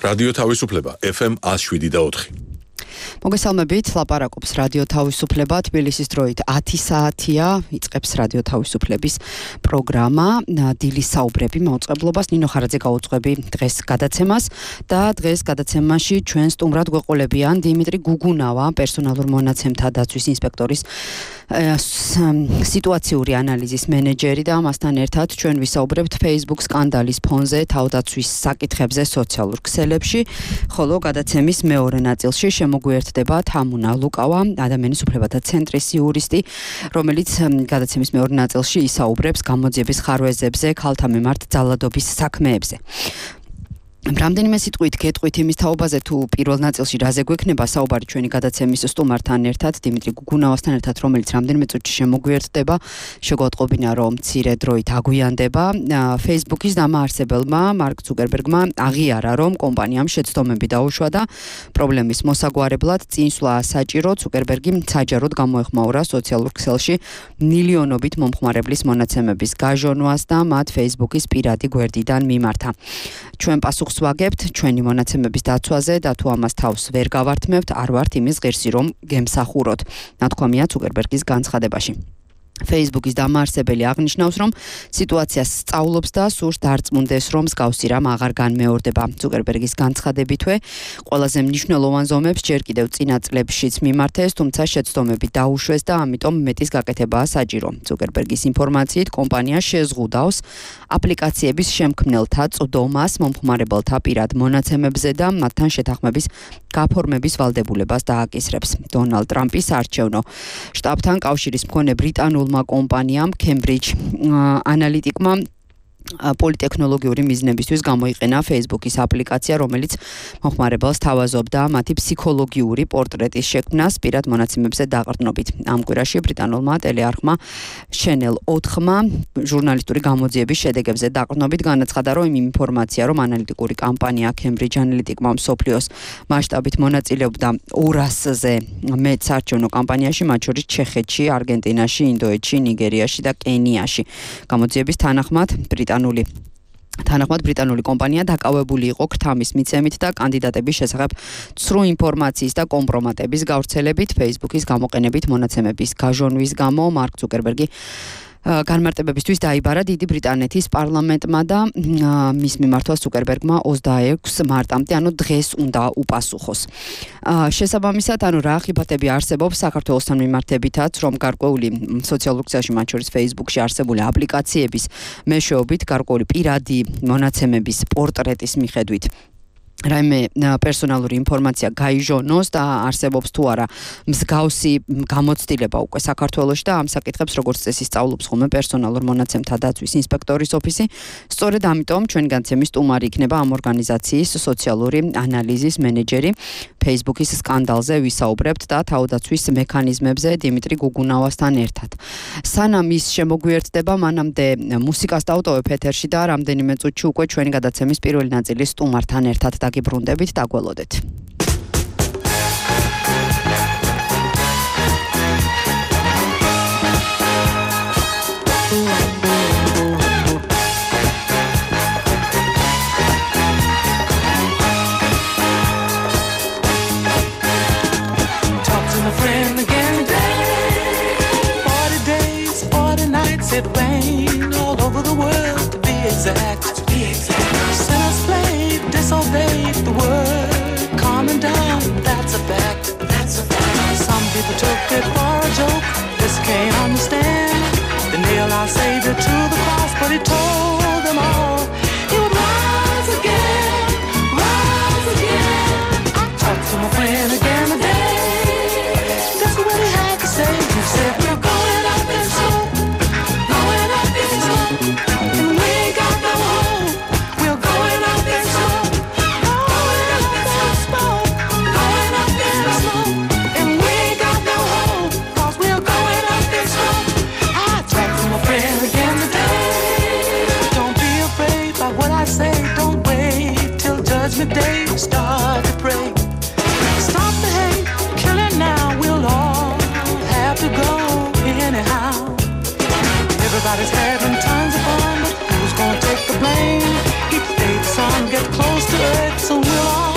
რადიო თავისუფლება FM 107.4. მოგესალმებით, ლაპარაკობს რადიო თავისუფლება, თბილისის დროით 10 საათია, იწყებს რადიო თავისუფლების პროგრამა, დილის საუბრები მაუწყებლობას, ნინო ხარაძე გაუძღვები დღეს გადაცემას და დღეს გადაცემაში ჩვენ სტუმრად გვეყოლებიან დიმიტრი გუგუნავა, პერსონალურ მონაცემთა დაცვის ინსპექტორის სიტუაციური ანალიზის მენეჯერი და მასთან ერთად ჩვენ ვისაუბრებთ Facebook სკანდალის ფონზე თავდაცვის საკითხებზე სოციალურ ქსელებში, ხოლო გადაცემის მეორე ნაწილში მოგვიერთდება თამუნა ლუკავა, ადამიანის უფლებათა ცენტრის იურისტი, რომელიც გადაცემის მეორე ნაწილში ისაუბრებს გამოძიების ხარვეზებზე, ქალთა მიმართ ძალადობის საქმეებზე. რამდენიმე სიტყვით გეტყვით იმის თაობაზე, თუ პირველ ნაწილში რაზე გვექნება საუბარი ჩვენი გადაცემის სტუმართან ერთად, დიმიტრი გუგუნავასთან ერთად, რომელიც რამდენიმე წუთში შემოგვიერთდება, შეგვატყობინა, რომ მცირე დროით აგვიანდება. Facebook-ის დამაარსებელმა მარკ ზუკერბერგმა აღიარა, რომ კომპანიამ შეცდომები დაუშვა და პრობლემის მოსაგვარებლად წინსვლა საჭირო. ზუკერბერგი საჯაროდ გამოეხმაურა სოციალურ ქსელში მილიონობით მომხმარებლის მონაცემების გაჟონვას და მათ Facebook-ის პირადი გვერდიდან მიმართა. ჩვენ პასუხს ვაგებთ ჩვენი მონაცემების დაცვაზე და თუ ამას თავს ვერ გავართმევთ, არ ვართ იმის ღირსი, რომ გემსახუროთ. ნათქვამია ზუკერბერგის განცხადებაში. Facebook-ის დამაარსებელი აღნიშნავს, რომ სიტუაციას სწავლობს და სურს დარწმუნდეს, რომ მსგავსი რამ აღარ განმეორდება. ზუკერბერგის განცხადებითვე, ყველაზე მნიშვნელოვან ზომებს ჯერ კიდევ წინა წლებშიც მიმართეს, თუმცა შეცდომები დაუშვეს და ამიტომ მეტის გაკეთებაა საჭირო. ზუკერბერგის ინფორმაციით, კომპანია შეზღუდავს აპლიკაციების შემქმნელთა წვდომას მომხმარებელთა პირად მონაცემებზე და მათთან შეთანხმების გაფორმების ვალდებულებას დააკისრებს. დონალდ ტრამპის არჩევნო შტაბთან კავშირის მქონე ბრიტანულმა კომპანიამ Cambridge Analytica პოლიტექნოლოგიური მიზნებისთვის გამოიყენა Facebook-ის აპლიკაცია, რომელიც მომხმარებელს თავაზობდა მათი ფსიქოლოგიური პორტრეტის შექმნას პირად მონაცემებზე დაყრდნობით. ამ კვირაში ბრიტანულმა ტელეარხმა Channel 4-მა ჟურნალისტური გამოძიების შედეგებზე დაყრდნობით განაცხადა, რომ იმ ინფორმაცია, რომ ანალიტიკური კამპანია Cambridge Analytica მსოფლიოს მასშტაბით მონაწილეობდა 200-ზე მეტ საარჩევნო კამპანიაში, მათ შორის ჩეხეთში, არგენტინაში, ინდოეთში, ნიგერიაში და კენიაში. გამოძიების თანახმად ბრიტანული კომპანია დაკავებული იყო ქრთამის მიცემით და კანდიდატების შესახებ ცრუ ინფორმაციის და კომპრომატების გავრცელებით. Facebook-ის გამოყენებით მონაცემების გაჟონვის გამო მარკ ზუკერბერგი განმარტებებისთვის დაიბარა დიდი ბრიტანეთის პარლამენტმა და მის მიმართვას ზუკერბერგმა 26 მარტამდე, ანუ დღეს უნდა უპასუხოს. შესაბამისად, რა ხიბათები არსებობს საქართველოსთან მიმართებითაც, რომ გარკვეული სოციალურ ქსელში, მათ შორის Facebook-ში არსებული აპლიკაციების მეშვეობით გარკვეული პირადი მონაცემების პორტრეტის მიხედვით რაიმე პერსონალური ინფორმაცია გაიჟონოს და არსებობს თუ არა მსგავსი გამოცდილება უკვე საქართველოში და ამ საკითხებს როგორც წესი სწავლობს ხოლმე პერსონალურ მონაცემთა დაცვის ინსპექტორის ოფისი. სწორედ ამიტომ ჩვენი განცემის სტუმარი იქნება ამ ორგანიზაციის სოციალური ანალიზის მენეჯერი. Facebook-ის სკანდალზე ვისაუბრებთ და თავდაცვის მექანიზმებზე დიმიტრი გუგუნავასთან ერთად. სანამ ის შემოგვიერთდება, მანამდე მუსიკას დავტოვებ ეთერში და რამდენიმე წუთში უკვე ჩვენი გადაცემის პირველი ნაწილის სტუმართან ერთად გიბრუნდებით, დაგველოდეთ. It rained all over the world, to be exact. Sinners played, disobeyed the word, calming down, that's a fact. Some people took it for a joke, just can't understand. They nailed our Savior to the cross, but he told them all he would rise again, rise again. I talked to my friend again today, that's what he had to say. He said we're going up in smoke. Judgment day, start to pray. Stop the hate, kill it now. We'll all have to go anyhow. Everybody's having tons of fun, but who's gonna take the blame? Each day the sun gets close to earth, so we'll all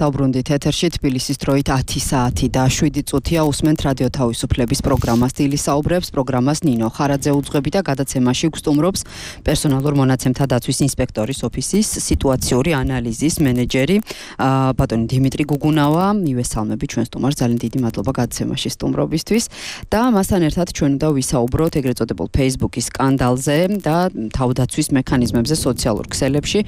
დავბრუნდით ეთერში თბილისის დროით 10 საათი და 7 წუთია უსმენთ რადიო თავისუფლების პროგრამას დილის საუბრებს პროგრამას ნინო ხარაძე უძღვები და გადაცემაში გსტუმრობს პერსონალურ მონაცემთა დაცვის ინსპექტორის ოფისის სიტუაციური ანალიზის მენეჯერი ბატონი დიმიტრი გუგუნავა მივესალმები ჩვენ სტუმარს ძალიან დიდი მადლობა გადაცემაში სტუმრობისთვის და მასთან ერთად ჩვენ უნდა ვისაუბროთ ეგრეთ წოდებულ Facebook-ის სკანდალზე და თავდაცვის მექანიზმებზე სოციალურ ქსელებში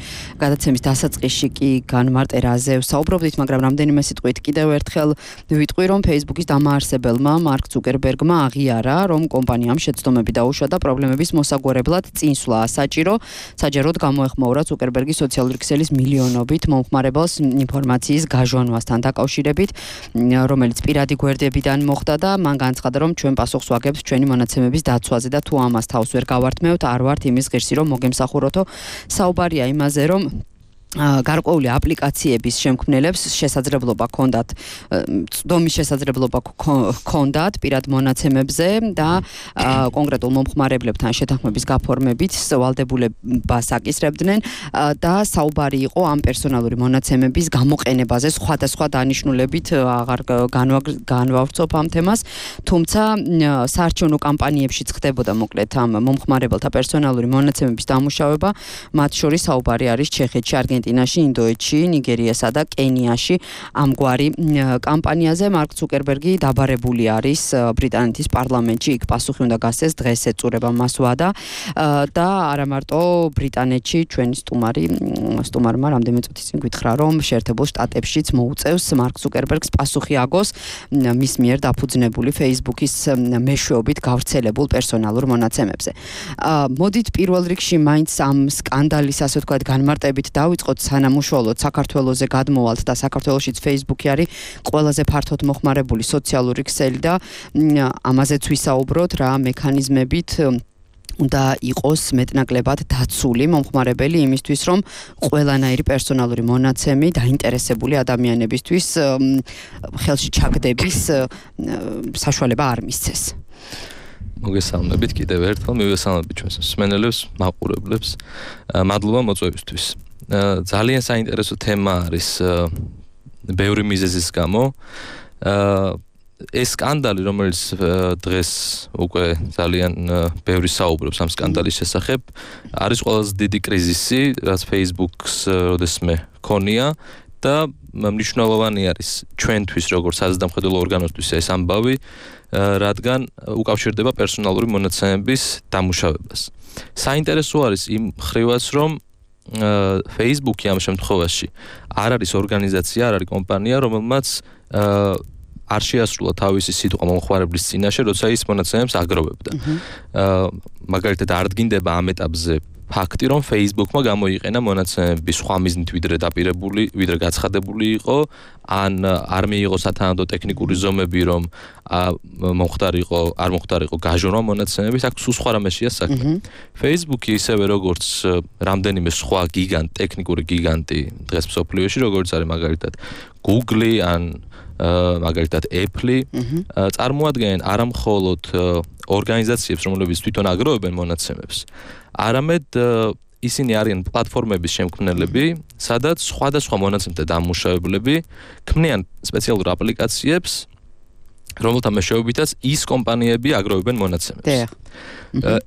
გადაცემის დასაწყისში კი განმარტერაზე ვსაუბრობდით, მაგრამ რამდენიმე სიტყვით კიდევ ერთხელ ვიტყვი, რომ Facebook-ის დამაარსებელმა მარკ ზუკერბერგმა აღიარა, რომ კომპანიამ შეცდომები დაუშვა და პრობლემების მოსაგვარებლად წინსვლა საჯაროდ გამოეხმაურა ზუკერბერგის სოციალური ქსელის მილიონობით მომხმარებელს ინფორმაციის გაჟონვასთან დაკავშირებით, რომელიც პირადი გვერდებიდან მოხდა და მან განცხადა, რომ ჩვენ პასუხს ვაგებთ ჩვენი მონაცემების დაცვაზე და თუ ამას თავს ვერ გავართმევთ, არ ვართ იმის ღირსი, რომ მოგემსახუროთო. საუბარია იმაზე, რომ გარკვეული აპლიკაციების შემქმნელებს შესაძლებლობა ჰქონდათ ცდომის შესაძლებლობა ჰქონდათ პირად მონაცემებზე და კონკრეტულ მომხმარებლებთან შეთანხმების გაფორმებით ვალდებულებას აკისრებდნენ და საუბარი იყო ამ პერსონალური მონაცემების გამოყენებაზე სხვადასხვა დანიშნულებით აღარ განვავრცობ ამ თემას თუმცა საარჩევნო კამპანიებშიც ხდებოდა მოკლედ ამ მომხმარებელთა პერსონალური მონაცემების დამუშავება მათ შორის საუბარი არის ჩეხეთში არგენტინაში, ინდოეთში, ნიგერიასა და კენიაში ამგვარი კამპანიაზე მარკ ზუკერბერგი დაბარებული არის ბრიტანეთის პარლამენტში, იქ პასუხი უნდა გასცეს დღეს ეწურება მას ვადა და არა მარტო ბრიტანეთში ჩვენი სტუმარმა რამდენიმე წუთის წინ გითხრა, რომ შეერთებულ შტატებშიც მოუწევს მარკ ზუკერბერგს პასუხი აგოს მის მიერ დაფუძნებული Facebook-ის მეშვეობით გავრცელებულ პერსონალურ მონაცემებზე. მოდით პირველ რიგში მაინც ამ სკანდალის ასე ვთქვათ განმარტებით დავიწყოთ სანამ უშუალოდ საქართველოზე გადმოვალთ და საქართველოშიც Facebook-ი არის ყველაზე ფართოდ მოხმარებული სოციალური ქსელი და ამაზეც ვისაუბროთ რა მექანიზმებით უნდა იყოს მეტნაკლებად დაცული მომხმარებელი იმისთვის რომ ყველანაირი პერსონალური მონაცემი დაინტერესებული ადამიანებისთვის ხელში ჩაგდების საშუალება არ მისცეს. მოგესალმებით კიდევ ერთხელ მივესალმებით ჩვენს მსმენელებს, მაყურებლებს. მადლობა მოწვევისთვის. ძალიან საინტერესო თემა არის ბევრი მიზეზის გამო. ეს სკანდალი, რომელიც დღეს უკვე ძალიან ბევრი საუბრობს ამ სკანდალის შესახებ, არის ყველაზე დიდი კრიზისი, რაც Facebook-ს როდესმე ქონია და მნიშვნელოვანი არის ჩვენთვის, როგორც საზრდამხედველო ორგანოსთვის ეს ამბავი, რადგან უკავშირდება პერსონალური მონაცემების დამუშავებას. საინტერესო არის იმ ხრივაც, რომ Facebook-ი ამ შემთხვევაში არ არის ორგანიზაცია, არ არის კომპანია, რომელმაც არ შეასრულა თავისი სიტყვა მომხმარებლის წინაშე, როცა ის მონაცემებს აგროვებდა. მაგალითად, არ დგინდება ამ ეტაპზე ფაქტი, რომ Facebook-მა გამოიყენა მონაცემები სხვა მიზნით ვიდრე გაცხადებული იყო, ან არ მიიღო სათანადო ტექნიკური ზომები, რომ არ მოხდარიყო გაჟონვა მონაცემების, აქ სულ სხვა რამეშია საქმე. Facebook-ი ისევე როგორც რამდენიმე სხვა ტექნიკური გიგანტი დღეს მსოფლიოში, როგორც არის მაგალითად Google ან მაგალითად Apple, წარმოადგენენ არა მხოლოდ ორგანიზაციებს, რომლებიც თვითონ აგროვებენ მონაცემებს, არამედ ისინი არიან პლატფორმების შემქმნელები, სადაც სხვადასხვა მონაცემთა დამუშავებლები ქმნიან სპეციალურ აპლიკაციებს, რომელთა მეშვეობითაც ის კომპანიები აგროვებენ მონაცემებს.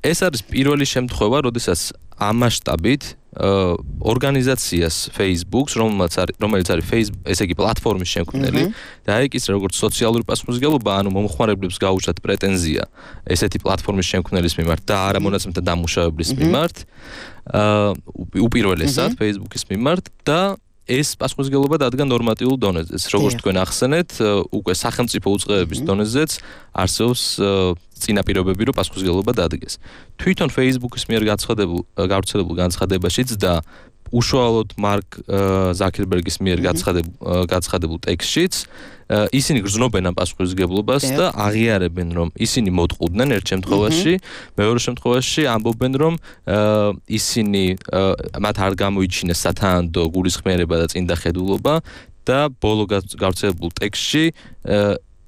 ეს არის პირველი შემთხვევა, როდესაც ამ მასშტაბით ორგანიზაციას Facebook-ს, რომელიც არის Facebook, ესე იგი პლატფორმის შემქმნელი, დაეკისრა როგორც სოციალური პასუხისმგებლობა, ანუ მომხმარებლებს გაუჩათ პრეტენზია ესეთი პლატფორმის შემქმნელის მიმართ და არა მონაცემთა დამუშავებლის მიმართ, უპირველესად Facebook-ის მიმართ და ეს პასუხისმგებლობა დადგა ნორმატიულ დონეზეც. როგორც თქვენ ახსენეთ, უკვე სახელმწიფო უწყებების დონეზეც არსებობს წინაპირობები, რომ პასუხისმგებლობა დადგეს. თვითონ Facebook-ის მიერ გავრცელებულ განცხადებაშიც და უშუალოდ მარკ ზაკერბერგის მიერ გაცხადებულ ტექსტშიც ისინი გრძნობენ ამ პასუხისმგებლობას და აღიარებენ, რომ ისინი მოტყუდნენ ერთ შემთხვევაში, მეორე შემთხვევაში ამბობენ, რომ ისინი მათ არ გამოიჩინეს სათანადო გულისხმიერება და წინდახედულობა და ბოლო გავრცელებულ ტექსტში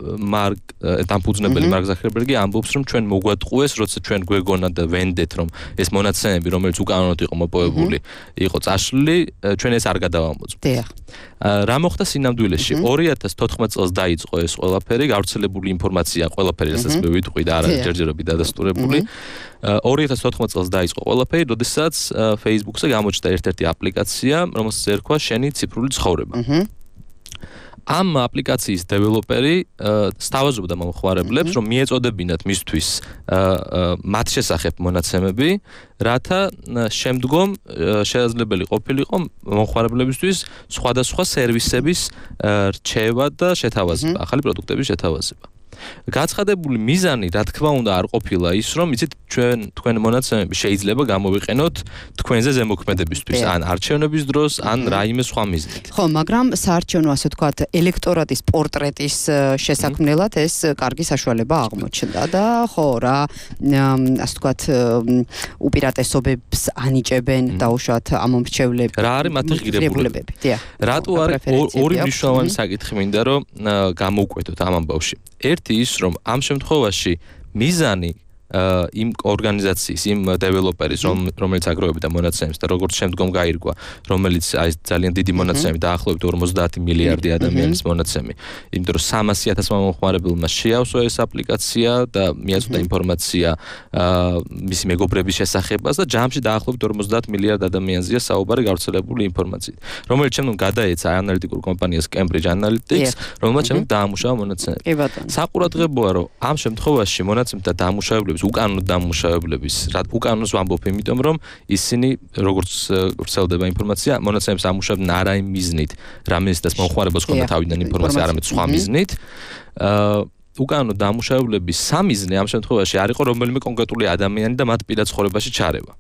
მარკ დამფუძნებელი მარკ ზაქერბერგი ამბობს რომ ჩვენ მოგვატყუეს როცა ჩვენ გვეგონა და ვენდეთ რომ ეს მონაცემები რომელიც უკანონოდ იყო მოპოვებული იყო წაშლილი ჩვენ ეს არ გადავამოწმოთ. რა მოხდა სინამდვილეში 2014 წელს დაიწყო ეს ყველაფერი გავრცელებული ინფორმაცია ყველაფერი რასაც მე ვიტყვი და არ არის ჯერჯერობით დადასტურებული 2014 წელს დაიწყო ყველაფერი როდესაც Facebook-ზე გამოჩნდა ერთ-ერთი აპლიკაცია რომელსაც ერქვა შენი ციფრული ცხოვრება. ამ აპლიკაციის დეველოპერი სთავაზობდა მომხმარებლებს რომ მიეწოდებინათ მისთვის მათ შესახებ მონაცემები რათა შემდგომ შესაძლებელი ყოფილიყო მომხმარებლებისთვის სხვადასხვა სერვისების რჩევა და შეთავაზება ახალი პროდუქტების შეთავაზება. გაცხადებული მიზანი რა თქმა უნდა არ ყოფილა ის რომ იცით თქვენ მონაცემები შეიძლება გამოვიყენოთ თქვენზე ზემოქმედებისთვის ან არჩევნების დროს ან რაიმე სხვა მიზნით. ხო, მაგრამ საარჩევნო ასე ვთქვათ ელექტორატის პორტრეტის შესაქმნელად ეს კარგი საშუალება აღმოჩნდა და ხო რა ასე ვთქვათ უპირატესობებს ანიჭებენ დაუშვათ ამომრჩევლები. რა არის მათი ღირებულებები? რატო არის ორი მნიშვნელოვანი საკითხი მინდა რომ გამოვკვეთოთ ამ ამბავში. ერთი ის რომ ამ შემთხვევაში მიზანი იმ ორგანიზაციის, იმ დეველოპერის, რომელიც აგროვებდა მონაცემებს და როგორც შემდგომ გაირკვა, რომელიც აი ძალიან დიდი მონაცემები დაახლოებით 50 მილიარდი ადამიანის მონაცემი. იმიტომ რომ 300,000 მომხმარებელმა შეავსო ეს აპლიკაცია და მიაწოდა ინფორმაცია მისი მეგობრების შესახებაც და ჯამში დაახლოებით 50 მილიარდ ადამიანზეა საუბარი გავრცელებული ინფორმაციით, რომელიც შემდგომ გადაეცა ანალიტიკურ კომპანიას Cambridge Analytics, რომელმაც შემდგომ დაამუშავა მონაცემები. საყურადღებოა რომ ამ შემთხვევაში მონაცემთა დამუშავებლები უკანონო დამუშავებლების უკანონოს ვამბობ იმიტომ რომ ისინი როგორც ვრცელდება ინფორმაცია მონაცემებს ამუშავებენ არა იმ მიზნით რამესდაც მომხმარებელს ჰქონდა თავიდან ინფორმაცია არამედ სხვა მიზნით უკანონო დამუშავებლების სამიზნე ამ შემთხვევაში არ იყო რომელიმე კონკრეტული ადამიანი და მათ პირად ცხოვრებაში ჩარევა.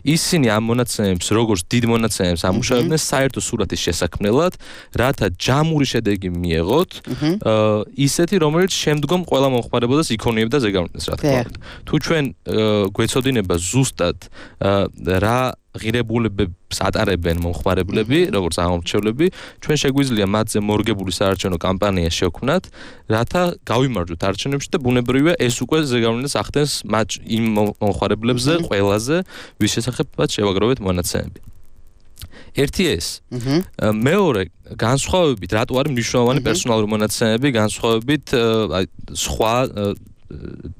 ისინი ამ მონაცემებს როგორც დიდ მონაცემებს ამუშავებდნენ საერთო სურათის შესაქმნელად, რათა ჯამური შედეგი მიეღოთ, ისეთი რომელიც შემდგომ ყველა მომხმარებელს იქონიებდა ზეგავლენას რა თქმა უნდა. თუ ჩვენ გვეცოდინება ზუსტად რა ღირებულებებს ატარებენ მომხმარებლები, როგორც ამომრჩევლები, ჩვენ შეგვიძლია მათზე მორგებული საარჩევნო კამპანია შევქმნათ, რათა გავიმარჯვოთ არჩევნებში და ბუნებრივია ეს უკვე ზეგავლენას ახდენს იმ მომხმარებლებზე, ყველაზე ვის შესახებაც შევაგროვეთ მონაცემები. ერთი ეს. მეორე, განსხვავებით, რატო არის მნიშვნელოვანი პერსონალური მონაცემები, განსხვავებით სხვა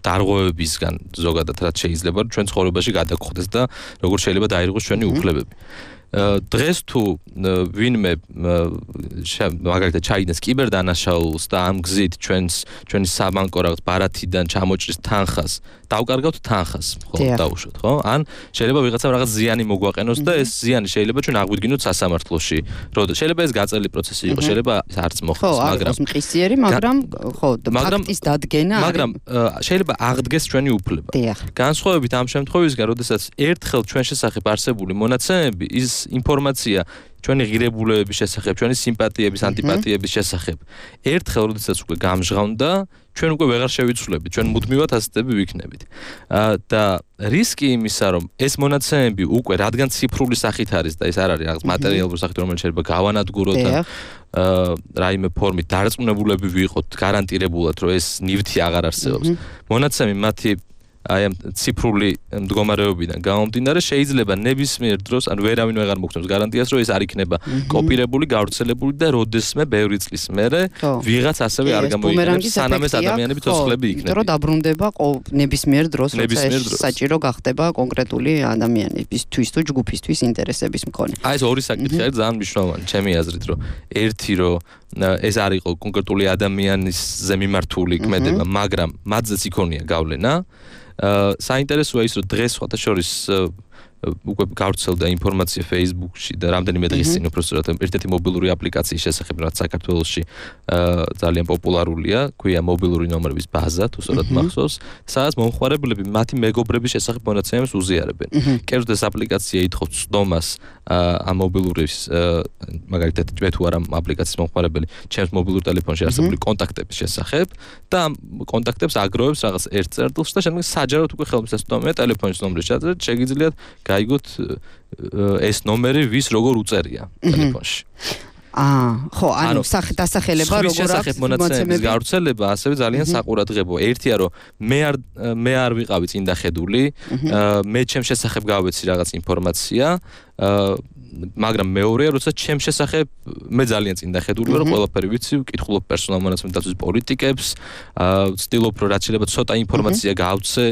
დარღვევებისგან ზოგადად რაც შეიძლება ჩვენ ცხოვრებაში გადაგხვდეს და როგორ შეიძლება დაირღოს ჩვენი უფლებები. დღეს თუ ვინმე მაგალითად ჩაიდენს კიბერდანაშაულს და ამ გზით ჩვენი საბანკო რაღაც ბარათიდან ჩამოჭრის თანხას დავკარგავთ თანხას ხო დაუშვოთ ხო ან შეიძლება ვიღაცამ რაღაც ზიანი მოგვაყენოს და ეს ზიანი შეიძლება ჩვენ აღვიდგინოთ სასამართლოში როდესაც შეიძლება ეს გაწეული პროცესი იყოს შეიძლება არც მოხდეს მაგრამ მყისიერი მაგრამ ხო ფაქტის დადგენა მაგრამ შეიძლება აღდგეს ჩვენი უფლება განსხვავებით ამ შემთხვევისგან როდესაც ერთხელ ჩვენ შესახებ არსებული მონაცემები ის ინფორმაცია ჩვენი ღირებულებების შესახებ, ჩვენი სიმპათიების, ანტიპათიების შესახებ. ერთხელ როდესაც უკვე გამჟღავნდა, ჩვენ უკვე ვეღარ შევიცვლებით, ჩვენ მუდმივად ასეთები ვიქნებით. და რისკი იმისა, რომ ეს მონაცემები უკვე რადგან ციფრული სახით არის და ეს არ არის რაღაც მატერიალური სახით, რომელიც შეიძლება გავანადგუროთ და რაიმე ფორმით დარწმუნებულები ვიყოთ გარანტირებულად, რომ ეს ნივთი აღარ არსებობს. მონაცემი მათი აი ამ ციფრული მდგომარეობიდან გამომდინარე შეიძლება ნებისმიერ დროს ან ვერავინ ვეღარ მოგცემს გარანტიას რომ ეს არ იქნება კოპირებული, გავრცელებული და როდესმე ბევრი წლის მერე ვიღაც ასევე არ გამოიყენებს სანამ ეს ადამიანები ცოცხლები იქნება. იმიტომ რომ დაბრუნდება ნებისმიერ დროს როცა ეს საჭირო გახდება კონკრეტული ადამიანისთვის თუ ჯგუფისთვის ინტერესების მქონე. აი ეს ორი საკითხი არის ძალიან მნიშვნელოვანი ჩემი აზრით რომ ერთი რომ ეს არ იყო კონკრეტული ადამიანის ზემიმართული ქმედება, მაგრამ მათზეც იქონია გავლენა. საინტერესოა ის რომ დღეს სხვათა შორის უკვე გავრცელდა ინფორმაცია Facebook-ში და რამდენიმე დღის წინ უბრალოდ ერთ-ერთი მობილური აპლიკაციის შესახებ რაც საქართველოში ძალიან პოპულარულია, ქვია მობილური ნომრების ბაზა, თუ სწორად მახსოვს, სადაც მომხმარებლები მათი მეგობრების შესახებ მონაცემებს უზიარებენ. კერძოდ ეს აპლიკაცია ითხოვს ცდომას ამ მობილურის მაგალითად მე თუ არა აპლიკაციის მომხმარებელი, ჩემს მობილურ ტელეფონში არსებული კონტაქტების შესახებ და ამ კონტაქტებს აგროვებს რაღაც ერთ წერტილს და შემდეგ საჯაროდ უკვე ხელმისაწვდომია ტელეფონის ნომრის ჩაწერა, შეგიძლიათ გაიგოთ ეს ნომერი ვის როგორ უწერია ტელეფონში. ხო, ანუ დასახელება როგორ აქვს მონაცემების გავრცელება, ასევე ძალიან საყურადღებოა. ერთია რომ მე არ ვიყავი წინდახედული, მე ჩემ შესახებ გავეცი რაღაც ინფორმაცია, მაგრამ მეორეა, როცა ჩემ შესახებ მე ძალიან წინდახედული ვარ, ყველაფერი ვიცი, ვკითხულობ პერსონალ მონაცემების დაცვის პოლიტიკებს, ვცდილობ რომ რაც შეიძლება ცოტა ინფორმაცია გავცე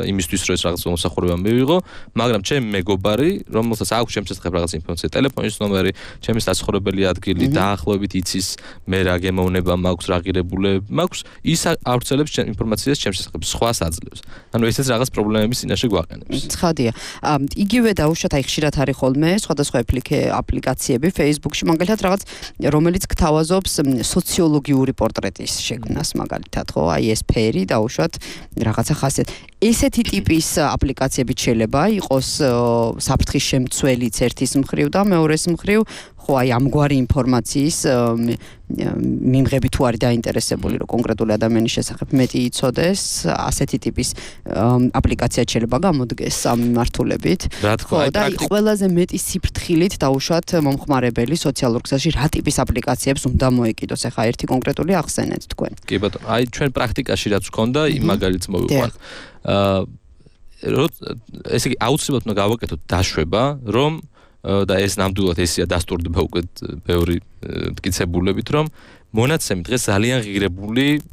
იმისთვის, რომ ეს რაღაც მომსახურება მივიღო, მაგრამ ჩემი მეგობარი, რომელსაც აქვს ჩემ შესახებ რაღაც ინფორმაცია, ტელეფონის ნომერი, ჩემი საცხოვრებელი ადგილი, დაახლოებით იცის მე რა გემოვნება მაქვს, რა ღირებულება მაქვს, ის ავრცელებს ჩემ ინფორმაციას ჩემ შესახებ, სხვას აძლევს. ანუ ესეც რაღაც პრობლემების წინაშე გვაყენებს. ცხადია. იგივე დაუშვათ აი ხშირად არის ხოლმე სხვადასხვა აპლიკაციები Facebook-ში, მაგალითად რაღაც რომელიც გთავაზობს სოციოლოგიური პორტრეტის შექმნას, მაგალითად, ხო? აი ეს ფერი დაუშვათ რაღაცა ხასიათი. ესეთი ტიპის აპლიკაციები შეიძლება იყოს საფრთხის შემცველიც ერთის მხრივ და მეორეს მხრივ, ხო, აი ამგვარი ინფორმაციის მიმღები თუ არის დაინტერესებული, რომ კონკრეტული ადამიანის შესახებ მეტი იცოდეს, ასეთი ტიპის აპლიკაცია შეიძლება გამოდგეს ამ მიმართულებით. ხო, და ყველაზე მეტი სიფრთხილით დაუშვათ მომხმარებელი სოციალურ ქსელში რა ტიპის აპლიკაციებს უნდა მოეკიდოს? ახლა ერთი კონკრეტული ახსენეთ თქვენ. კი ბატონო, აი ჩვენ პრაქტიკაში რაც ვქონდა, იმ მაგალითს მოვიყვან. ესე იგი აუცილებლად უნდა გავაკეთოთ დაშვება, რომ და ეს ნამდვილად ესია დასტურდება უკვე ბევრი მტკიცებულებით, რომ მონაცემი დღეს ძალიან ღირებული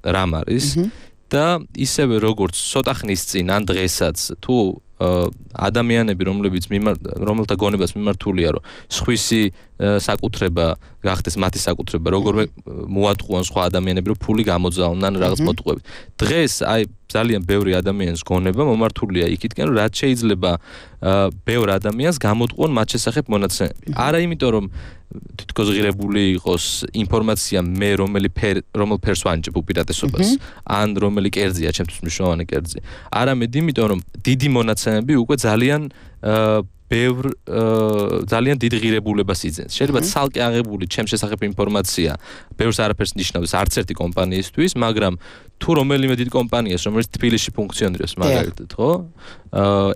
რამ არის და ისევე როგორც ცოტა ხნის წინ ან დღესაც თუ ადამიანები, რომელთა გონებას მიმართულია, რომ სხვისი საკუთრება გახდეს მათი საკუთრება, როგორ მოატყუან სხვა ადამიანები, რომ ფული გამოძალონ ან რაღაც მოტყუებით. დღეს აი ძალიან ბევრი ადამიანის გონება მომართულია იქითკენ, რომ რაც შეიძლება ბევრ ადამიანს გამოტყუონ მათ შესახებ მონაცემები. არა იმიტომ, რომ თითქოს ღირებული იყოს ინფორმაცია მე რომელ ფერს ვანიჭებ უპირატესობას, ან რომელი კერძია ჩემთვის მნიშვნელოვანი კერძი. არამედ იმიტომ, რომ დიდი მონაცემები უკვე ძალიან ძალიან დიდ ღირებულებას იძენს. შეიძლება ცალკე აღებული ჩემ შესახებ ინფორმაცია ბევრს არაფერს ნიშნავს არც ერთი კომპანიისთვის, მაგრამ თუ რომელიმე დიდ კომპანიას, რომელიც თბილისში ფუნქციონირებს, მაგალითად, ხო?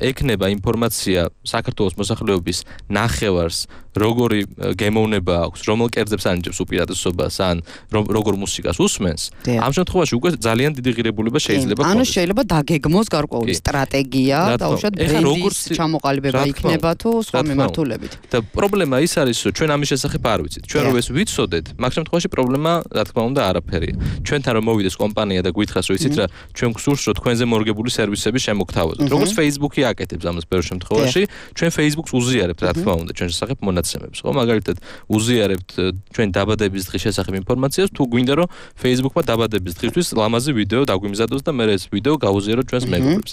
ექნება ინფორმაცია საქართველოს მოსახლეობის ნახევარს, როგორი გემოვნება აქვს, რომელ კერძებს ანიჭებს უპირატესობას, ან როგორ მუსიკას უსმენს, ამ შემთხვევაში უკვე ძალიან დიდი ღირებულება შეიძლება ქონდეს. ანუ შეიძლება დაგეგმოს გარკვეული სტრატეგია, დაუშვათ ბრენდის ჩამოყალიბება იქნება თუ სხვა მიმართულებით. და პრობლემა ის არის, რომ ჩვენ ამის შესახებ არ ვიცით. ჩვენ რო ეს ვიცოდეთ, მაგ შემთხვევაში პრობლემა, რა თქმა უნდა, არაფერია. ჩვენთან რომ მოვიდეს კომპანია და გითხრას, რომ იცით რა, ჩვენ გსურს, რომ თქვენზე მორგებული სერვისები შემოგთავაზოთ. როგორც Facebook-ი აკეთებს ამას ბევრ შემთხვევაში, ჩვენ Facebook-ს უზიარებთ, რა თქმა უნდა, ჩვენ შესახებ მონაცემებს, ხო? მაგალითად, უზიარებთ ჩვენ დაბადების დღის შესახებ ინფორმაციას, თუ გვინდა რომ Facebook-მა დაბადების დღისთვის ლამაზი ვიდეო დაგვიმზადოს და მე ეს ვიდეო გავუზიაროთ ჩვენს მეგობრებს.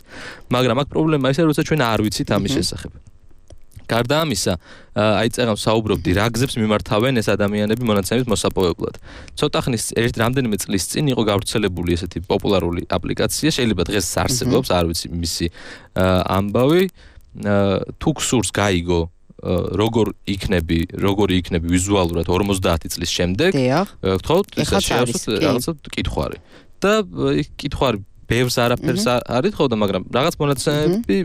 მაგრამ აქ პრობლემა ისაა, როცა ჩვენ არ ვიცით ამის შესახებ. გარდა ამისა, აი წერამ საუბრობდი, რა გზებს მიმართავენ ეს ადამიანები მონაცემების მოსაპოვებლად. ცოტა ხნის რამდენიმე წლის წინ იყო გავრცელებული ესეთი პოპულარული აპლიკაცია, შეიძლება დღეს არსებობს, არ ვიცი მისი ამბავი, თუ გსურს გაიგო როგორი იქნები ვიზუალურად 50 წლის შემდეგ, გთხოვთ, რაღაცა კითხვარი. და კითხვარი ბევრს არაფერს არის თქო და მაგრამ რაღაც მონაცემები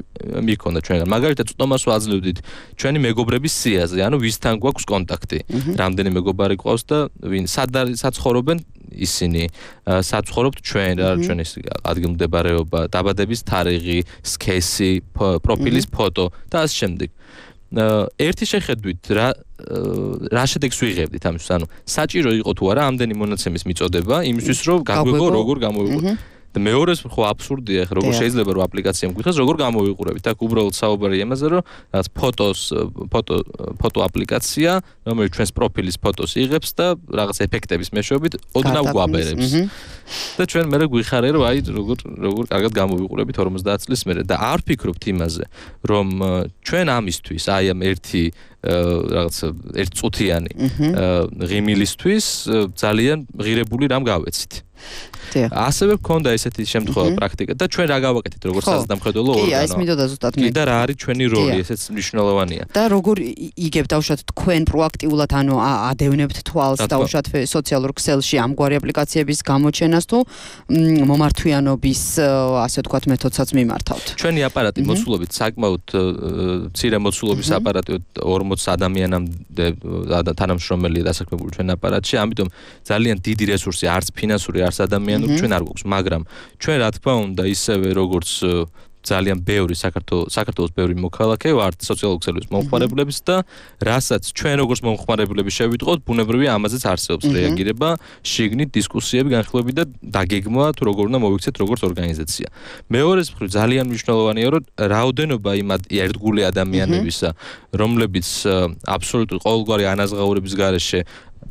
მიქონდა ჩვენგან. მაგალითად, წტომას ვაძლევდით ჩვენი მეგობრების სიაზე, ანუ ვისთან გვაქვს კონტაქტი. რამდენი მეგობარი გვყავს და ვინ საცხოვრობენ ისინი, საცხოვრობთ ჩვენ, რა ჩვენი ადგილმდებარეობა, დაბადების თარიღი, სქესი, პროფილის ფოტო და ასე შემდეგ. ერთი შეხედვით რა შედეგს ვიღებდით ამისთვის, ანუ საჭირო იყო თუ არა ამდენი მონაცემის მიწოდება იმისთვის, რომ გაგვიგო როგორ გამოვიყუროთ. და მეორეს ხო აბსურდია, ხო როგორ შეიძლება რომ აპლიკაცია მგვითხრას როგორ გამოვიყურებით. აქ უბრალოდ საუბარი იმაზე, რომ რაღაც ფოტო აპლიკაცია, რომელიც ჩვენს პროფილის ფოტოს იღებს და რაღაც ეფექტების მეშვეობით ოდნავ გვაბერებს. და ჩვენ მერე გვიხარია, რომ აი როგორ კარგად გამოვიყურებით 50 წლის მერე და არ ვფიქრობთ იმაზე, რომ ჩვენ ამისთვის აი ამ ერთი წუთიანი ღიმილისთვის ძალიან ღირებული რამ გავეცით. ასევე გქონდა ესეთი შემთხვევა პრაქტიკა და ჩვენ რა გავაკეთეთ როგორც საზრდამხედველო ორგანო. კი, ეს მინდოდა ზუსტად მე. და რა არის ჩვენი როლი, ესეც მნიშვნელოვანია. და როგორ იგებთ დაუშვათ თქვენ პროაქტიულად, ანუ ადევნებთ თვალს დაუშვათ სოციალურ ქსელში ამგვარი აპლიკაციების გამოჩენას მოხსენას თუ მომართვიანობის ასე ვთქვათ მეთოდსაც მიმართავთ. ჩვენი აპარატი მოცულობით საკმაოდ მცირე მოცულობის აპარატი 40 ადამიანამდე თანამშრომელია დასაქმებული ჩვენ აპარატში, ამიტომ ძალიან დიდი რესურსი არც ფინანსური, არც ადამიანური ჩვენ არ გვაქვს, მაგრამ ჩვენ რა თქმა უნდა ისევე როგორც ძალიან ბევრი საქართველოს ბევრი მოქალაქე ვართ სოციალურ ქსელების მომხმარებლების და რასაც ჩვენ როგორც მომხმარებლები შევიტყოთ, ბუნებრივია ამაზეც არსებობს რეაგირება, შიგნით დისკუსიები, განხილვები და დაგეგმვა თუ როგორ უნდა მოვიქცეთ როგორც ორგანიზაცია. მეორეს მხრივ ძალიან მნიშვნელოვანია, რომ რაოდენობა იმ ერთგული ადამიანებისა, რომლებიც აბსოლუტურად ყოველგვარი ანაზღაურების გარეშე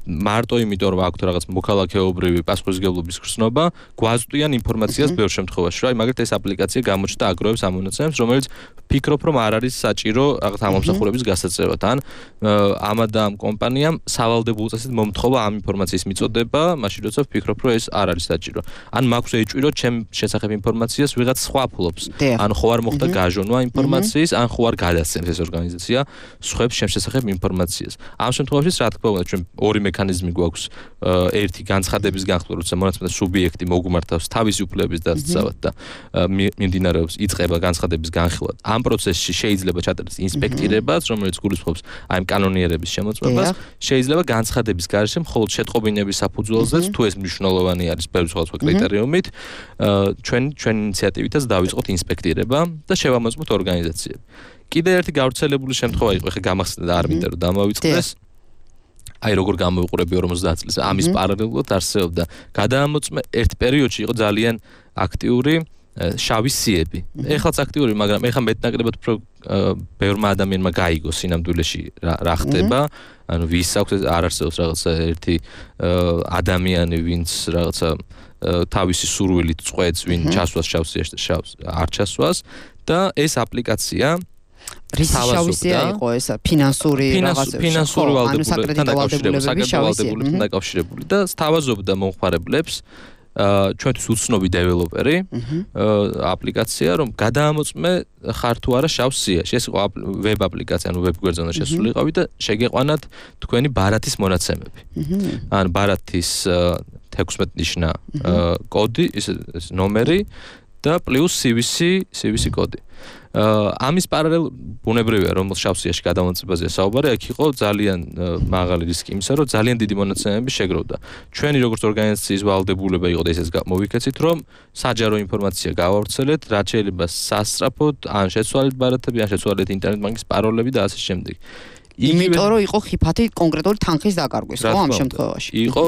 მარტო იმიტომ რომ აქვთ რაღაც მოქალაქეობრივი პასუხისმგებლობის გრძნობა, გვაწვდიან ინფორმაციას ბევრ შემთხვევაში, რომ აი მაგალითად ეს აპლიკაცია გამოჩნდა აგროვებს ამ მონაცემებს, რომელიც ფიქრობ რომ არ არის საჭირო რაღაც ამომსახურების გასაწევად, ან ამადა ამ კომპანიამ სავალდებულო წესით მომთხოვა ამ ინფორმაციის მიწოდება, მაშინ როცა ვფიქრობ რომ ეს არ არის საჭირო. ან მაქვს ეჭვი რომ ჩემ შესახებ ინფორმაციას ვიღაც სხვა ფლობს, ან ხო არ მოხდა გაჟონვა ინფორმაციის, ან ხო არ გადასცემს ეს ორგანიზაცია სხვებს ჩემ შესახებ ინფორმაციას. ამ შემთხვევაში რა თქმა უნდა ჩვენ ორი მექანიზმი გვაქვს, ერთი განცხადების განხილვა, როცა მონაცემთა სუბიექტი მოგმართავს თავისი უფლებების დასაცავად და მიმდინარეობს იწყება განცხადების განხილვა. ამ პროცესში შეიძლება ჩატარდეს ინსპექტირებაც, რომელიც გულისხმობს აი ამ კანონიერების შემოწმებას, შეიძლება განცხადების გარეშე მხოლოდ შეტყობინების საფუძველზეც, თუ ეს მნიშვნელოვანი არის ბევრი სხვადასხვა კრიტერიუმით, ჩვენ ინიციატივითაც დავიწყოთ ინსპექტირება და შევამოწმოთ ორგანიზაციები. კიდე ერთი გავრცელებული შემთხვევა იყო, ხე გამახსენდა და არ მინდა რომ დამოვიწყდეს. აი როგორ გამოვიყურები 50 წელს ამის პარალელურად არსებობდა გადაამოწმე ერთ პერიოდში იყო ძალიან აქტიური შავი სიები. ეხლაც აქტიური, მაგრამ ეხლა მეტნაკლებად უფრო ბევრმა ადამიანმა გაიგო სინამდვილეში რა ხდება, ანუ ვის აქვს არ არსებობს რაღაცა ერთი ადამიანი, ვინც რაღაცა თავისი სურვილით წყვეტს, ვინ ჩასვას შავ სიაში არ ჩასვას და ეს აპლიკაცია რისშავისია იყო ეს ფინანსური ვალდებულებებთან დაკავშირებული და სთავაზობდა მომხმარებლებს ჩვენთვის უცნობი დეველოპერი აპლიკაცია რომ გადაამოწმე ხარ თუ არა შავ სიაში. ეს იყო ვებ აპლიკაცია, ანუ ვებ გვერდზე უნდა შესულიყავი და შეგეყვანათ თქვენი ბარათის მონაცემები. ან ბარათის 16 ნიშნა კოდი, ეს ნომერი და პლუს CVC კოდი. ამის პარალელ ბუნებრივია რომ შავ სიაში გადამოწმებაზე საუბარი, აქ იყო ძალიან მაღალი რისკი იმისა, რომ ძალიან დიდი მონაცემები შეგროვდა. ჩვენი როგორც ორგანიზაციის ვალდებულება იყო და ესეც მოვიქეცით, რომ საჯარო ინფორმაცია გავავრცელეთ, რაც შეიძლება სასწრაფოდ, ან შეცვალეთ ბარათები, ან შეცვალეთ ინტერნეტ ბანკის პაროლები და ასე შემდეგ. იმიტომ რომ იყო ხიფათი კონკრეტული თანხის დაკარგვის, ხო, ამ შემთხვევაში. იყო,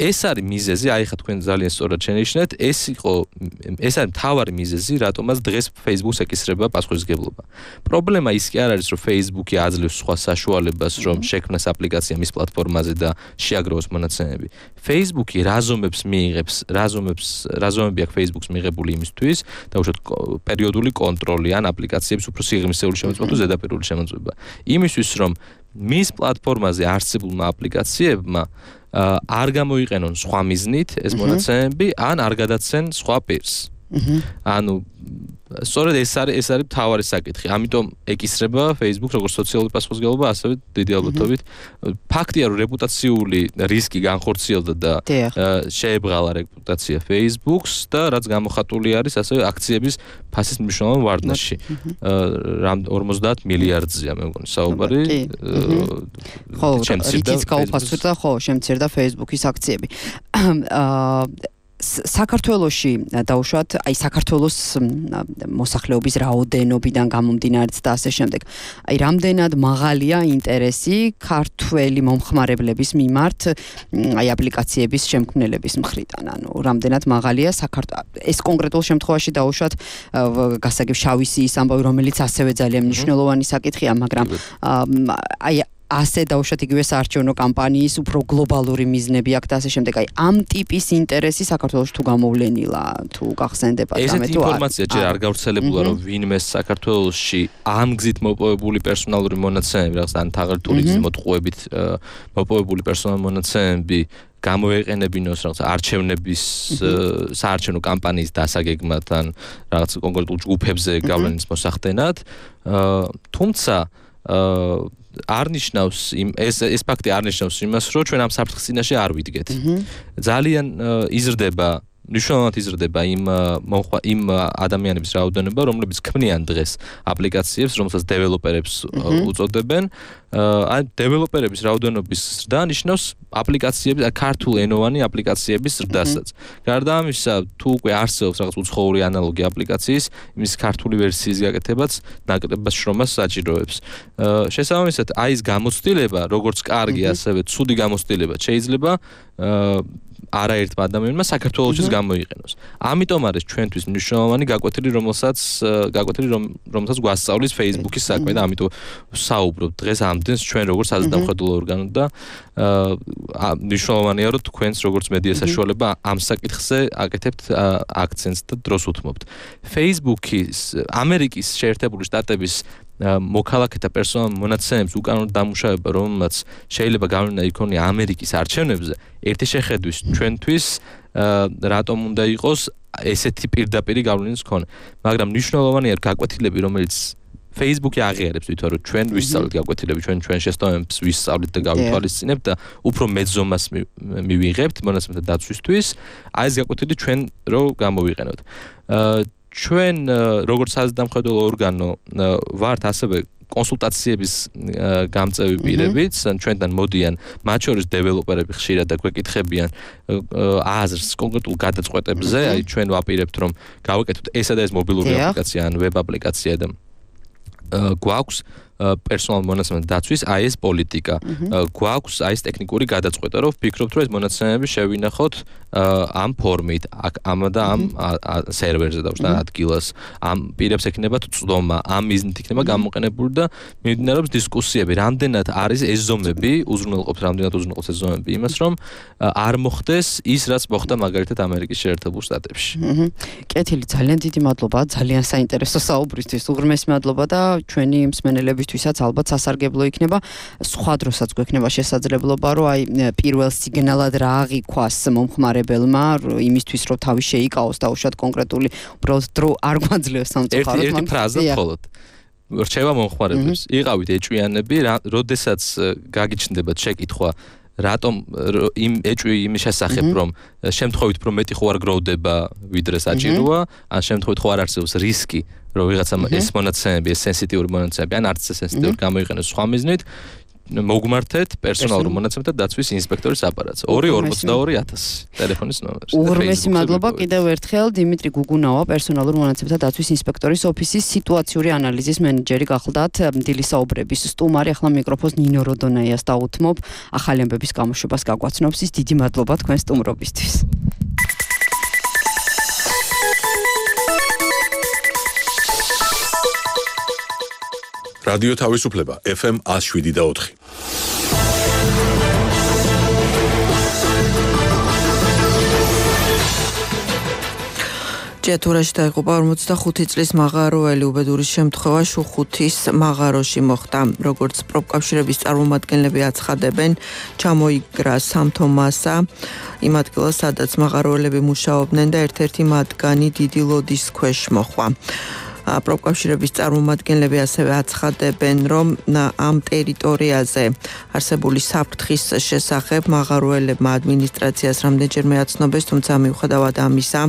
ეს არის მიზეზი, აი ხა თქვენ ძალიან სწორად შენიშნეთ, ეს არის მთავარი მიზეზი, რატომაც დღეს Facebook-ს ეკისრება პასუხისმგებლობა. პრობლემა ის კი არ არის, რომ Facebook-ი აძლევს სხვა საშუალებას, რომ შექმნას აპლიკაცია მის პლატფორმაზე და შეაგროვოს მონაცემები. Facebook-ი რაზომებს მიიღებს, რაზომები აქვს Facebook-ს მიღებული იმისთვის, დაუშვათ პერიოდული კონტროლი ან აპლიკაციების უფრო სიღრმისეული შემოწმება თუ ზედაპირული შემოწმება. იმისთვის, რომ მის პლატფორმაზე არსებულმა აპლიკაციებმა არ გამოიყენონ სხვა მიზნით ეს მონაცემები, ან არ გადაცენ სხვა პირს. ანუ სწორედ ეს არის მთავარი საკითხი. ამიტომ ეკისრება Facebook როგორც სოციალური პასუხისმგებლობა, ასევე დიდი ალბათობით ფაქტია, რომ რეპუტაციული რისკი განხორციელდა და შეებრალა რეპუტაცია Facebook-ს და რაც გამოხატული არის ასევე აქციების ფასის მნიშვნელოვან ვარდნაში. 50 მილიარდზეა მე მგონი საუბარი. ხო, რითიც გაუფასურდა, ხო, შემცირდა Facebook-ის აქციები. საქართველოში დაუშვათ, აი საქართველოს მოსახლეობის რაოდენობიდან გამომდინარეც და ასე შემდეგ. აი რამდენად მაღალია ინტერესი ქართველი მომხმარებლების მიმართ აი აპლიკაციების შემქმნელების მხრიდან, ანუ რამდენად მაღალია ეს კონკრეტულ შემთხვევაში დაუშვათ გასაგებ შავი სიის ამბავი, რომელიც ასევე ძალიან მნიშვნელოვანი საკითხია, მაგრამ აი ასე დაუშვათ იგივე საარჩევნო კამპანიის უფრო გლობალური მიზნები აქვს და ასე შემდეგ. აი ამ ტიპის ინტერესი საქართველოს თუ გამოვლენილა, თუ გახსენდება და მე თუ ესეთი ინფორმაცია ჯერ არ გავრცელებულა, რომ ვინმე საქართველოში ამ გზით მოპოვებული პერსონალური მონაცემები, რაღაც ან თაღრითული გზით მოტყუებით მოპოვებული პერსონალური მონაცემები გამოეყენებინოს რაღაც არჩევნების საარჩევნო კამპანიის დასაგეგმად ან რაღაც კონკრეტულ ჯგუფებზე გავლენის მოსახდენად. თუმცა არ ნიშნავს ეს ფაქტი არ ნიშნავს იმას, რომ ჩვენ ამ საფრთხის წინაშე არ ვიდგეთ. ძალიან იზრდება მნიშვნელოვნად იზრდება იმ ადამიანების რაოდენობა, რომლებიც ქმნიან დღეს აპლიკაციებს, რომელსაც დეველოპერებს უწოდებენ. Ან დეველოპერების რაოდენობის ზრდა ნიშნავს აპლიკაციების, ქართულ ენოვანი აპლიკაციების ზრდასაც. გარდა ამისა, თუ უკვე არსებობს რაღაც უცხოური ანალოგი აპლიკაციის, იმის ქართული ვერსიის გაკეთებაც ნაკლებად შრომას საჭიროებს. შესაბამისად, აი ეს გამოცდილება, როგორც კარგი, ასევე ცუდი გამოცდილება შეიძლება არაერთმა ადამიანმა საქართველოშიც გამოიყენოს. ამიტომ არის ჩვენთვის მნიშვნელოვანი გაკვეთილი, რომელსაც გვასწავლის Facebook-ის საქმე და ამიტომ საუბრობ დღეს ამდენს ჩვენ როგორც საზედამხედველო ორგანო და მნიშვნელოვანია რომ თქვენს როგორც მედია საშუალება ამ საკითხზე აკეთებთ აქცენტს და დროს უთმობთ. Facebook-ის ამერიკის შეერთებული შტატების მოქალაქეთა პერსონალურ მონაცემებს უკანონო დამუშავება, რომელსაც შეიძლება გავლენა იქონია ამერიკის არჩევნებზე, ერთი შეხედვის ჩვენთვის რატომ უნდა იყოს ესეთი პირდაპირი გავლენის მქონე. მაგრამ მნიშვნელოვანია გაკვეთილები, რომელიც Facebook-ი აღიარებს თვითონ რომ ჩვენ ვისწავლით გაკვეთილები, ჩვენ შესწავლებს ვისწავლით და გავითვალისწინებთ და უფრო მეტ ზომას მივიღებთ მონაცემთა დაცვისთვის, აი ეს გაკვეთილი ჩვენ რო გამოვიყენოთ. ჩვენ როგორც საზედამხედველო ორგანო ვართ ასევე კონსულტაციების გამწევი პირებიც, ჩვენთან მოდიან მათ შორის დეველოპერები ხშირად და გვეკითხებიან აზრს კონკრეტულ გადაწყვეტებზე, აი ჩვენ ვაპირებთ რომ გავაკეთოთ ესა და ეს მობილური აპლიკაცია ან ვებ აპლიკაცია და გვაქვს პერსონალ მონაცემთა დაცვის აი ეს პოლიტიკა. გვაქვს აი ეს ტექნიკური გადაწყვეტა, რომ ვფიქრობთ, რომ ეს მონაცემები შევინახოთ ამ ფორმით, ამ და ამ სერვერზე და ადგილას. ამ პირებს ექნებათ წვდომა, ამ მიზნით იქნება გამოყენებული და მიმდინარეობს დისკუსიები, რამდენად არის ეს ზომები, რამდენად უზრუნველყოფს ეს ზომები იმას, რომ არ მოხდეს ის, რაც მოხდა მაგალითად ამერიკის შეერთებულ შტატებში. კეთილი, ძალიან დიდი მადლობა, ძალიან საინტერესო საუბრისთვის. უღრმესი მადლობა და ჩვენი მსმენელებისთვისაც ალბათ სასარგებლო იქნება. სხვა დროსაც გვექნება შესაძლებლობა, რომ აი პირველ სიგნალად რა აღიქვას მომხმარებელმა, იმისთვის რომ თავი შეიკავოს და უშუალოდ კონკრეტული უბრალოდ დრო არ გვაძლევს სამწუხაროდ. ერთი ფრაზა მხოლოდ. რჩება მომხმარებლებს. იყავით ეჭვიანები, როდესაც გაგიჩნდებათ შეკითხვა რატომ იმ ეჭვი იმის შესახებ რომ შემთხვევით რომ მეტი ხო არ გროვდება ვიდრე საჭიროა, ან შემთხვევით ხო არ არსებობს რისკი რომ ვიღაცამ ეს მონაცემები, ეს სენსიტიური მონაცემები ან არც სენსიტიური გამოიყენოს სხვა მიზნით, მოგმართეთ პერსონალურ მონაცემთა დაცვის ინსპექტორის აპარატს 242.000 ტელეფონის ნომერს. უღრმესი მადლობა კიდევ ერთხელ დიმიტრი გუგუნავა, პერსონალურ მონაცემთა დაცვის ინსპექტორის ოფისის სიტუაციური ანალიზის მენეჯერი გახლდათ. დილის საუბრების სტუმარი, ახლა მიკროფონს ნინო როდონაიას დაუთმობ. ახალი ამბების გამოშვებას გაგვაცნობს ის. დიდი მადლობა თქვენ სტუმრობისთვის. რადიო თავისუფლება FM 107.4. ჭიათურაში დაიღუპა 45 წლის მაღაროელი. უბედური შემთხვევა შუხუთის მაღაროში მოხდა. როგორც პროფკავშირების წარმომადგენლები აცხადებენ, ჩამოიგრა სამთო მასა იმ ადგილას, სადაც მაღაროელები მუშაობდნენ და ერთ-ერთი მათგანი დიდი ლოდის ქვეშ მოხვა. პროფკავშირების წარმომადგენლები ასევე აცხადებენ, რომ ამ ტერიტორიაზე არსებული საფრთხის შესახებ მაღაროელებმა ადმინისტრაციას რამდენჯერმე აცნობეს, თუმცა მიუხედავად ამისა,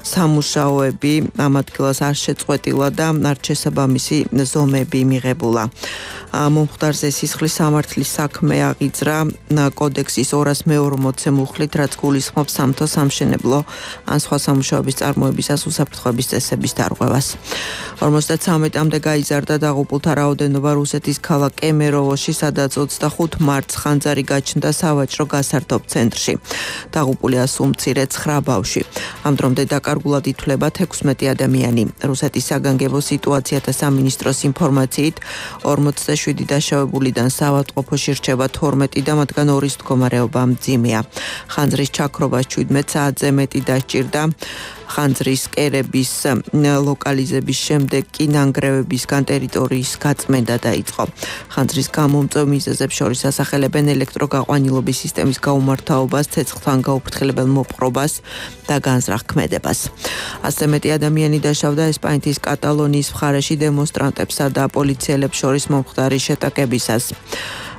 სამუშაოები ამ ადგილას არ შეწყვეტილა და არ შესაბამისი ზომები მიღებულა. მომხდარზე სისხლის სამართლის საქმე აღიძრა კოდექსის 240-ე მუხლით, რაც გულისხმობს სამთო სამშენებლო ან სხვა სამუშაოების წარმოებისას უსაფრთხოების წესების დარღვევას. 53-მდე გაიზარდა დაღუპულთა რაოდენობა რუსეთის ქალაქ კემეროვოში, სადაც 25 მარტს ხანძარი გაჩნდა სავაჭრო გასართობ ცენტრში. დაღუპულია სულ მცირე 9 ბავშვი. ამ დრომდე დაკარგულად ითვლება 16 ადამიანი. რუსეთის საგანგებო სიტუაციათა სამინისტროს ინფორმაციით 47 დაშავებულიდან საავადმყოფოში რჩება 12 და მათგან 2-ის მდგომარეობა მძიმეა. ხანძრის ჩაქრობა 17 საათზე მეტი დასჭირდა. ხანძრის კერების ლოკალიზების დაწყების შემდეგ კი ნანგრევებისგან ტერიტორიის გაწმენდა დაიწყო. ხანძრის გამომწვევ მიზეზებს შორის ასახელებენ ელექტროგაყვანილობის სისტემის გაუმართავობას, ცეცხლთან გაუფრთხილებელ მოპყრობას და განზრახ ქმედებას. ასე მეტი ადამიანი დაშავდა ესპანეთის კატალონიის მხარეში დემონსტრანტებსა და პოლიციელებს შორის მომხდარი შეტაკებისას.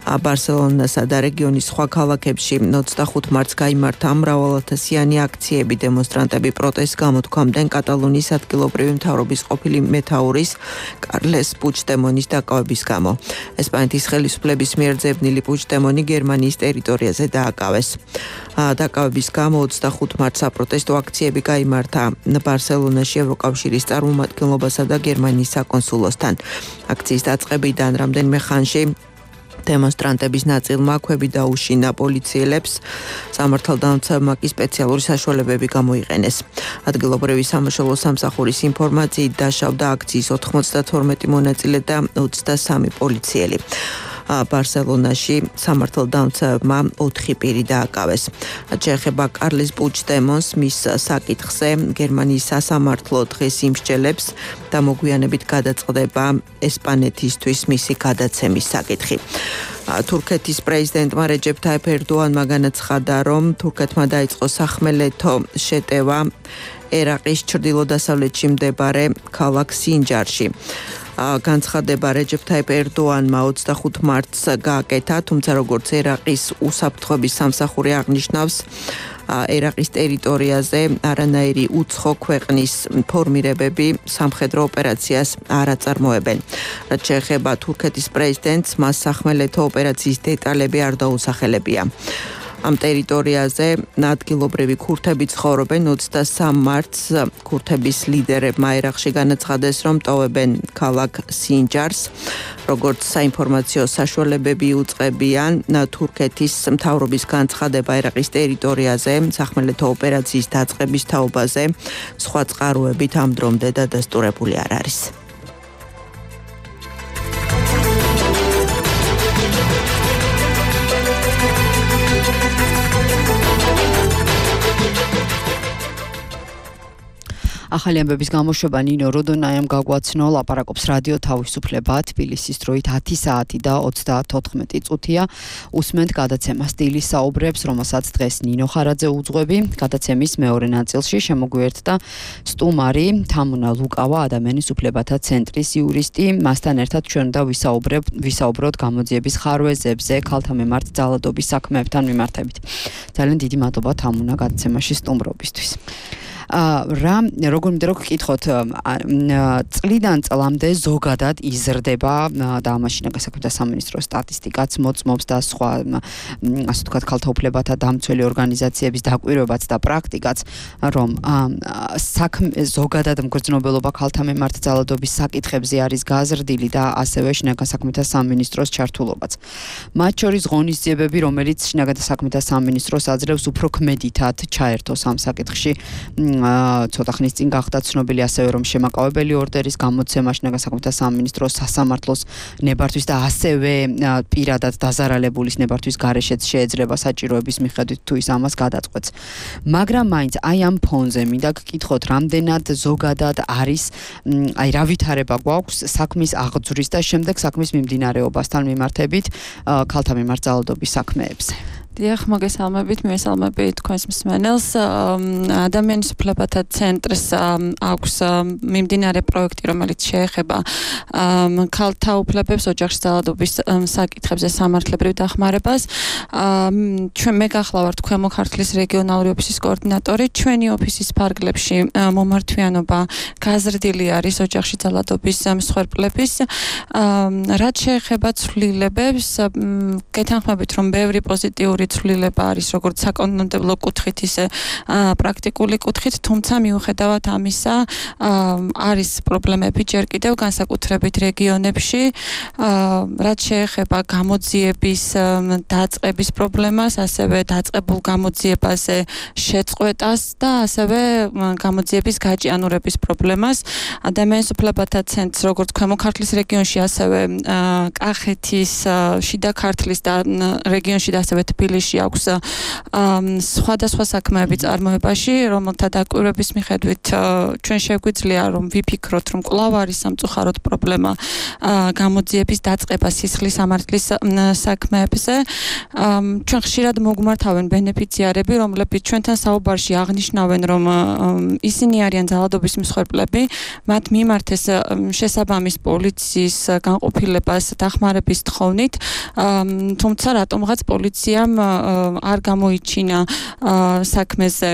ბარსელონასა და რეგიონის სხვა ქალაქებში 25 მარტს გაიმართა მრავალათასიანი აქციები. დემონსტრანტები პროტესტს გამოთქვამდნენ კატალონიის ადგილობრივი მთავრობის ყოფილი მეთაურის კარლეს პუჩდემონის დაკავების გამო. ესპანეთის ხელისუფლების მიერ ძებნილი პუჩდემონი გერმანიის ტერიტორიაზე დააკავეს. დაკავების გამო 25 მარტს საპროტესტო აქციები გაიმართა ბარსელონაში ევროკავშირის წარმომადგენლობასა და გერმანიის საკონსულოსთან. აქციის დაწყებიდან რამდენიმე ხანში დემონსტრანტების ნაწილმა ქვები დაუშინა პოლიციელებს, სამართალდამცავმა კი სპეციალური საშუალებები გამოიყენეს. ადგილობრივი სამაშველო სამსახურის ინფორმაციით დაშავდა აქციის 92 მონაწილე და 23 პოლიციელი. ბარსელონაში სამართალდამცავმა 4 პირი დააკავეს. შეეხება კარლეს პუჩდემონს, მის საკითხზე გერმანიის სასამართლო დღეს იმსჯელებს და მოგვიანებით გადაწყდება ესპანეთისთვის მისი გადაცემის საკითხი. თურქეთის პრეზიდენტმა რეჯეფ თაიფ ერდოანმა განაცხადა, რომ თურქეთმა დაიწყო სახმელეთო შეტევა ერაყის ჩრდილო-დასავლეთში მდებარე ქალაქ სინჯარში. განცხადება რეჯეფ თაიფ ერდოანმა 25 მარტს გააკეთა, თუმცა როგორც ერაყის უსაფრთხოების სამსახური აღნიშნავს, ერაყის ტერიტორიაზე არანაირი უცხო ქვეყნის ფორმირებები სამხედრო ოპერაციას არ აწარმოებენ. რაც შეეხება თურქეთის პრეზიდენტს, მას სახმელეთო ოპერაციის დეტალები არ დაუსახელებია. ამ ტერიტორიაზე ადგილობრივი ქურთები ცხოვრობენ. 23 მარტს ქურთების ლიდერებმა ერაყში განაცხადეს, რომ ტოვებენ ქალაქ სინჯარს. როგორც საინფორმაციო საშუალებები უწყებიან, თურქეთის მთავრობის განცხადება ერაყის ტერიტორიაზე სახმელეთო ოპერაციის დაწყების თაობაზე სხვა წყაროებით ამ დრომდე დადასტურებული არ არის. ახალი ამბების გამოშვება ნინო როდონაიამ გაგვაცნო, ლაპარაკობს რადიო თავისუფლება, თბილისის დროით 10 საათი და 34 წუთია. უსმენთ გადაცემა სტილის საუბრებს, რომელსაც დღეს ნინო ხარაძე უძღვები. გადაცემის მეორე ნაწილში შემოგვიერთდა სტუმარი თამუნა ლუკავა, ადამიანის უფლებათა ცენტრის იურისტი. მასთან ერთად ჩვენ და ვისაუბროთ გამოძიების ხარვეზებზე, ქალთა მიმართ ძალადობის საქმეებთან მიმართებით. ძალიან დიდი მადლობა თამუნა გადაცემაში სტუმრობისთვის. როგორ მინდა რომ გკითხოთ, წლიდან წლამდე ზოგადად იზრდება და ამაშინა გასაქმეთა სამინისტროს სტატისტიკაც მოწმობს და სხვა ასე ვთქვათ ქალთა უფლებათა დამცველი ორგანიზაციების დაკვირვებაც და პრაქტიკაც, რომ ზოგადად მგრძნობელობა ქალთა მიმართ ძალადობის საკითხებზე არის გაზრდილი და ასევე შინაგან საქმეთა სამინისტროს ჩართულობაც. მათ შორის ღონისძიებები, რომელიც შინაგან საქმეთა სამინისტროს აძლევს უფრო ქმედითად ჩაერთოს ამ საკითხში, ცოტა ხნის წინ გახდა ცნობილი ასევე რომ შემაკავებელი ორდერის გამოცემა შინაგან საქმეთა სამინისტროს სასამართლოს ნებართვის და ასევე პირადად დაზარალებულის ნებართვის გარეშეც შეეძლება საჭიროების მიხედვით თუ ის ამას გადაწყვეტს. მაგრამ მაინც აი ამ ფონზე მინდა გკითხოთ, რამდენად ზოგადად არის, აი რა ვითარება გვაქვს საქმის აღძვრის და შემდეგ საქმის მიმდინარეობასთან მიმართებით ქალთა მიმართ ძალადობის საქმეებზე. დიახ, მოგესალმებით, მივესალმები თქვენს მსმენელს. ადამიანის უფლებათა ცენტრს აქვს მიმდინარე პროექტი, რომელიც შეეხება ქალთა უფლებებს, ოჯახში ძალადობის საკითხებზე სამართლებრივ დახმარებას. ჩვენ მე გახლავართ ქვემო ქართლის რეგიონალური ოფისის კოორდინატორი. ჩვენი ოფისის ფარგლებში მომართვიანობა გაზრდილი არის ოჯახში ძალადობის მსხვერპლების. რაც შეეხება ცვლილებებს, გეთანხმებით, რომ ბევრი პოზიტიური ცვლილება არის როგორც საკანონმდებლო კუთხით, ისე პრაქტიკული კუთხით, თუმცა მიუხედავად ამისა არის პრობლემები ჯერ კიდევ განსაკუთრებით რეგიონებში, რაც შეეხება გამოძიების დაწყების პრობლემას, ასევე დაწყებულ გამოძიებაზე შეწყვეტას და ასევე გამოძიების გაჭიანურების პრობლემას. ადამიანის უფლებათა ცენტრს როგორც ქვემო ქართლის რეგიონში, ასევე კახეთის, შიდა ქართლის და რეგიონში და ასევე თბილისში აქვს სხვადასხვა საქმეები წარმოებაში, რომელთა დაკვირვების მიხედვით ჩვენ შეგვიძლია რომ ვიფიქროთ, რომ კვლავ არის სამწუხაროდ პრობლემა გამოძიების დაწყება სისხლის სამართლის საქმეებზე. ჩვენ ხშირად მოგვმართავენ ბენეფიციარები, რომლებიც ჩვენთან საუბარში აღნიშნავენ, რომ ისინი არიან ძალადობის მსხვერპლები, მათ მიმართეს შესაბამის პოლიციის განყოფილებას დახმარების თხოვნით, თუმცა რატომღაც პოლიციამ არ გამოიჩინა საქმეზე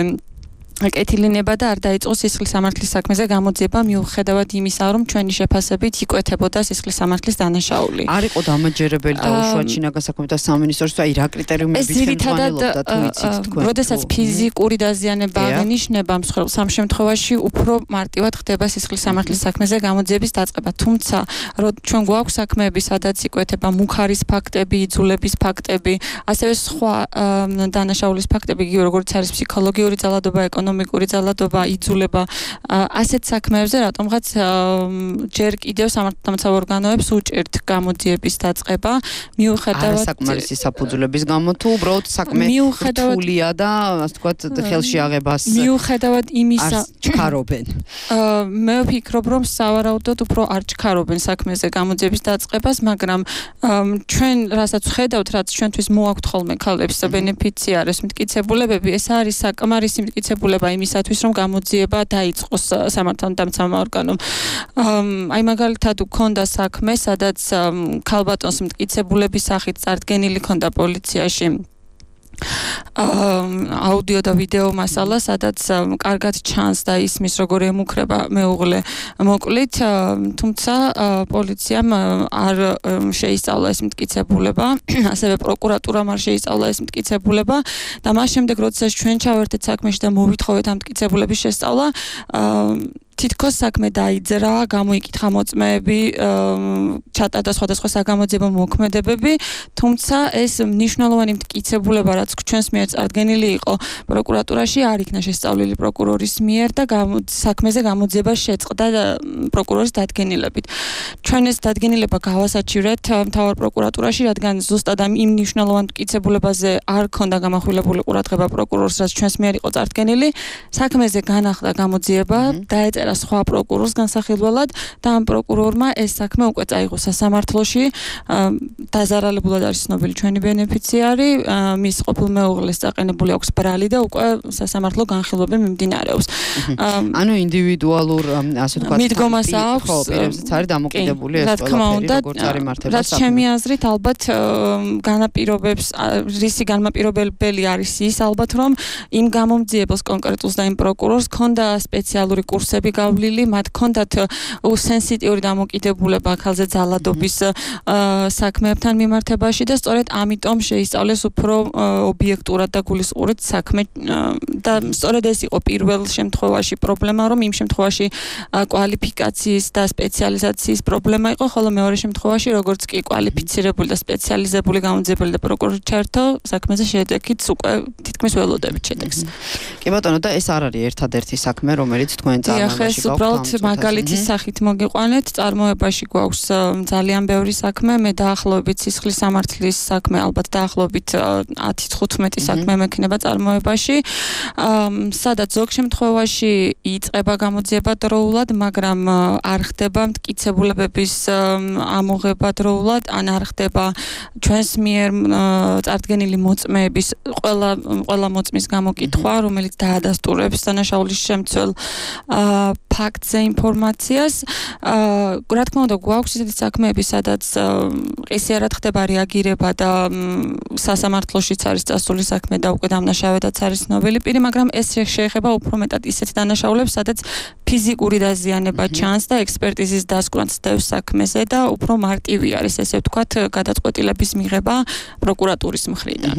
კეთილინება და არ დაიწყო სისხლის სამართლის საქმეზე გამოძიება მიუხედავად იმისა, რომ ჩვენი შეფასებით იკვეთებოდა სისხლის სამართლის დანაშაული. არ იყო დამაჯერებელი დაუშვათ შინაგან საქმეთა სამინისტროს, აი რა კრიტერიუმებით ხელმძღვანელობდა თუ იცით თქვენ? როდესაც ფიზიკური დაზიანება აღინიშნება მსხვერპლს, ამ შემთხვევაში უფრო მარტივად ხდება სისხლის სამართლის საქმეზე გამოძიების დაწყება. თუმცა ჩვენ გვაქვს საქმეები, სადაც იკვეთება მუხარის ფაქტები, იძულების ფაქტები, ასევე სხვა დანაშაულის ფაქტები, იგივე როგორც არის ფსიქოლოგიური ძალადობა, ეკონომიკური ძალადობა, იძულება, ასეთ საქმეებზე რატომღაც ჯერ კიდევ სამართალდამცავ ორგანოებს უჭირთ გამოძიების დაწყება, მიუხედავად არასაკმარისი საფუძვლების გამო თუ უბრალოდ საქმე რთულია და ასე ვთქვათ ხელში აღებას მიუხედავად იმისა ჩქარობენ. მე ვფიქრობ, რომ სავარაუდოდ უფრო არ ჩქარობენ საქმეზე გამოძიების დაწყებას, მაგრამ ჩვენ რასაც ვხედავთ, რაც ჩვენთვის მოაქვთ ხოლმე ქალებს ბენეფიციარებს მტკიცებულებები, ეს არის საკმარისი მტკიცებულება იმისათვის, რომ გამოძიება დაიწყოს სამართალდამცავმა ორგანომ. აი მაგალითად უქონდა საქმე, სადაც ქალბატონს მტკიცებულების სახით წარდგენილი ქონდა პოლიციაში აუდიო და ვიდეო მასალა, სადაც კარგად ჩანს და ისმის როგორ ემუქრება მეუღლე მოკლით, თუმცა პოლიციამ არ შეისწავლა ეს მტკიცებულება, ასევე პროკურატურამ არ შეისწავლა ეს მტკიცებულება და მას შემდეგ, როდესაც ჩვენ ჩავერთეთ საქმეში და მოვითხოვეთ ამ მტკიცებულების შესწავლა, თითქოს საქმე დაიძრა, გამოიკითხა მოწმეები, ჩატარდა სხვადასხვა საგამოძიებო მოქმედებები, თუმცა ეს მნიშვნელოვანი მტკიცებულება, რაც ჩვენს მიერ წარდგენილი იყო პროკურატურაში, არ იქნა შესწავლილი პროკურორის მიერ და საქმეზე გამოძიება შეწყდა პროკურორის დადგენილებით. ჩვენ ეს დადგენილება გავასაჩივრეთ მთავარ პროკურატურაში, რადგან ზუსტად იმ მნიშვნელოვან მტკიცებულებაზე არ ქონდა გამახვილებული ყურადღება პროკურორს, რაც ჩვენს მიერ იყო წარდგენილი. საქმეზე განახლდა გამოძიება, დაეწერა სხვა პროკურორს განსახილველად და ამ პროკურორმა ეს საქმე უკვე წაიღო სასამართლოში. დაზარალებულად არის ცნობილი ჩვენი ბენეფიციარი, მის ყოფილ მეუღლეს წაყენებული აქვს ბრალი და უკვე სასამართლო განხილვები მიმდინარეობს. ანუ ინდივიდუალურ, ასე ვთქვათ, მიდგომას აქვს, ხო, პირებზეც არის დამოკიდებული ეს ყველაფერი, როგორც არის მართება რაც ჩემი აზრით, ალბათ განაპირობებს, რისი განმაპირობებელი არის ის, ალბათ რომ იმ გამომძიებელს კონკრეტულს და იმ პროკურორს ქონდა სპეციალური კურსები გავლილი, მათ ქონდათ სენსიტიური დამოკიდებულება ხალხზე ძალადობის საქმეებთან მიმართებაში და სწორედ ამიტომ შეისწავლეს უფრო ობიექტურად და გულისყურით საქმე და სწორედ ეს იყო პირველ შემთხვევაში პრობლემა, რომ იმ შემთხვევაში კვალიფიკაციის და სპეციალიზაციის პრობლემა იყო, ხოლო მეორე შემთხვევაში, როგორც კი კვალიფიცირებული და სპეციალიზებული გამოძიებელი და პროკურორი ჩართო, საქმეზე შედეგით უკვე თითქმის ველოდებით შედეგს. კი ბატონო, და ეს არ არის ერთადერთი საქმე, რომელიც თქვენ წარმოებაში ეს უბრალოდ მაგალითის სახით მოგიყვანეთ, წარმოებაში გვაქვს ძალიან ბევრი საქმე, მე დაახლოებით სისხლის სამართლის საქმე, ალბათ დაახლოებით 10-15 საქმე მექნება წარმოებაში, სადაც ზოგ შემთხვევაში იწყება გამოძიება დროულად, მაგრამ არ ხდება მტკიცებულებების ამოღება დროულად, ან არ ხდება ჩვენს მიერ წარდგენილი მოწმეების ყველა მოწმის გამოკითხვა, რომელიც დაადასტურებს დანაშაულის შემცველ ფაქტზე ინფორმაციას. რა თქმა უნდა, გვაქვს ისეთი საქმეები, სადაც ყისიერად ხდება რეაგირება და სასამართლოშიც არის წასული საქმე და უკვე დამნაშავედაც არის ცნობილი პირი, მაგრამ ეს შეეხება უფრო მეტად ისეთ დანაშაულებს, სადაც ფიზიკური დაზიანება ჩანს და ექსპერტიზის დასკვნაც დევს საქმეზე და უფრო მარტივი არის, ესე ვთქვათ, გადაწყვეტილების მიღება პროკურატურის მხრიდან.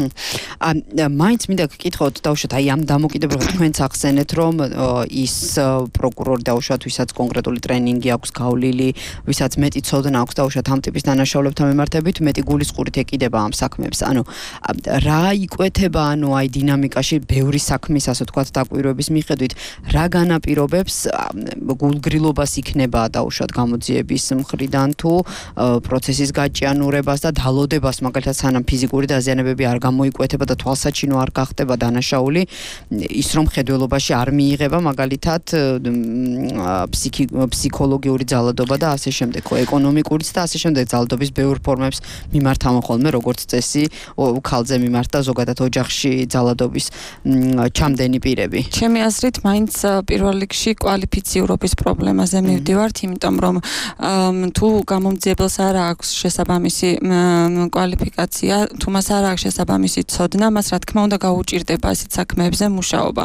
მაინც მინდა გკითხოთ, დავუშვათ, აი ამ დამოკიდებულებას თქვენც ახსენეთ, რომ ის პროკურორი დაუშვათ, ვისაც კონკრეტული ტრენინგი აქვს გავლილი, ვისაც მეტი ცოდნა აქვს დაუშვათ ამ ტიპის დანაშაულებთან მიმართებით, მეტი გულისყურით ეკიდება ამ საქმეებს. ანუ რა იკვეთება, ანუ აი დინამიკაში ბევრი საქმის, ასე ვთქვათ, დაკვირვების მიხედვით, რა განაპირობებს გულგრილობას იქნება დაუშვათ გამოძიების მხრიდან თუ პროცესის გაჭიანურებას და დალოდებას, მაგალითად, სანამ ფიზიკური დაზიანებები არ გამოიკვეთება და თვალსაჩინო არ გახდება დანაშაული, ის რომ ხედველობაში არ მიიღება, მაგალითად, ფსიქოლოგიური ძალადობა და ასე შემდეგ, ეკონომიკურიც და ასე შემდეგ ძალადობის ბევრ ფორმებს მიმართავენ ხოლმე, როგორც წესი, ქალზე მიმართ და ზოგადად ოჯახში ძალადობის ჩამდენი პირები. ჩემი აზრით, მაინც პირველ რიგში კვალიფიციურობის პრობლემაზე მივდივართ, იმიტომ რომ თუ გამომძიებელს არ აქვს შესაბამისი კვალიფიკაცია, თუ მას არ აქვს შესაბამისი ცოდნა, მას რა თქმა უნდა გაუჭირდება ასეთ საქმეებზე მუშაობა.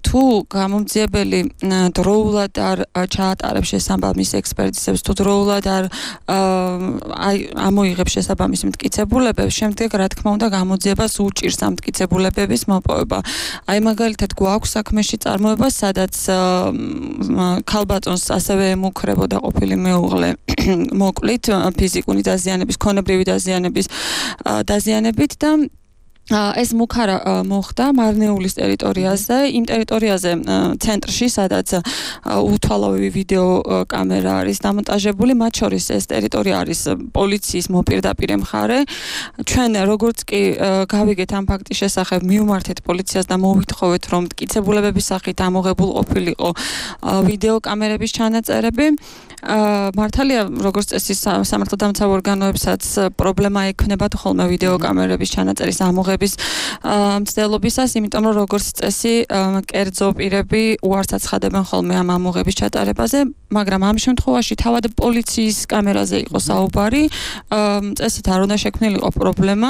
თუ გამომძიებელი დროულად არ ჩაატარებს შესაბამის ექსპერტიზებს, თუ დროულად არ ამოიღებს შესაბამის მტკიცებულებებს, შემდეგ რა თქმა უნდა გამოძიებას უჭირს ამ მტკიცებულებების მოპოვება. აი მაგალითად გვაქვს საქმეში წარმოება, სადაც ქალბატონს ასევე ემუქრებოდა ყოფილი მეუღლე მოკლით ფიზიკური დაზიანების, ქონებრივი დაზიანების დაზიანებით და ეს მუქარა მოხდა მარნეულის ტერიტორიაზე, იმ ტერიტორიაზე ცენტრში, სადაც უთვალავი ვიდეო კამერა არის დამონტაჟებული, მათ შორის ეს ტერიტორია არის პოლიციის მოპირდაპირე მხარე. ჩვენ როგორც კი გავიგეთ ამ ფაქტის შესახებ, მივმართეთ პოლიციას და მოვითხოვეთ, რომ მტკიცებულებების სახით ამოღებულ ყოფილიყო ვიდეო კამერების ჩანაწერები. მართალია, როგორც წესი სამართალდამცავ ორგანოებსაც პრობლემა ექნებათ ხოლმე ვიდეო კამერების ჩანაწერის ამოღების მცდელობისას, იმიტომ რომ როგორც წესი კერძო პირები უარს აცხადებენ ხოლმე ამ ამოღების ჩატარებაზე, მაგრამ ამ შემთხვევაში თავად პოლიციის კამერაზე იყო საუბარი, წესით არ უნდა შექმნილიყო პრობლემა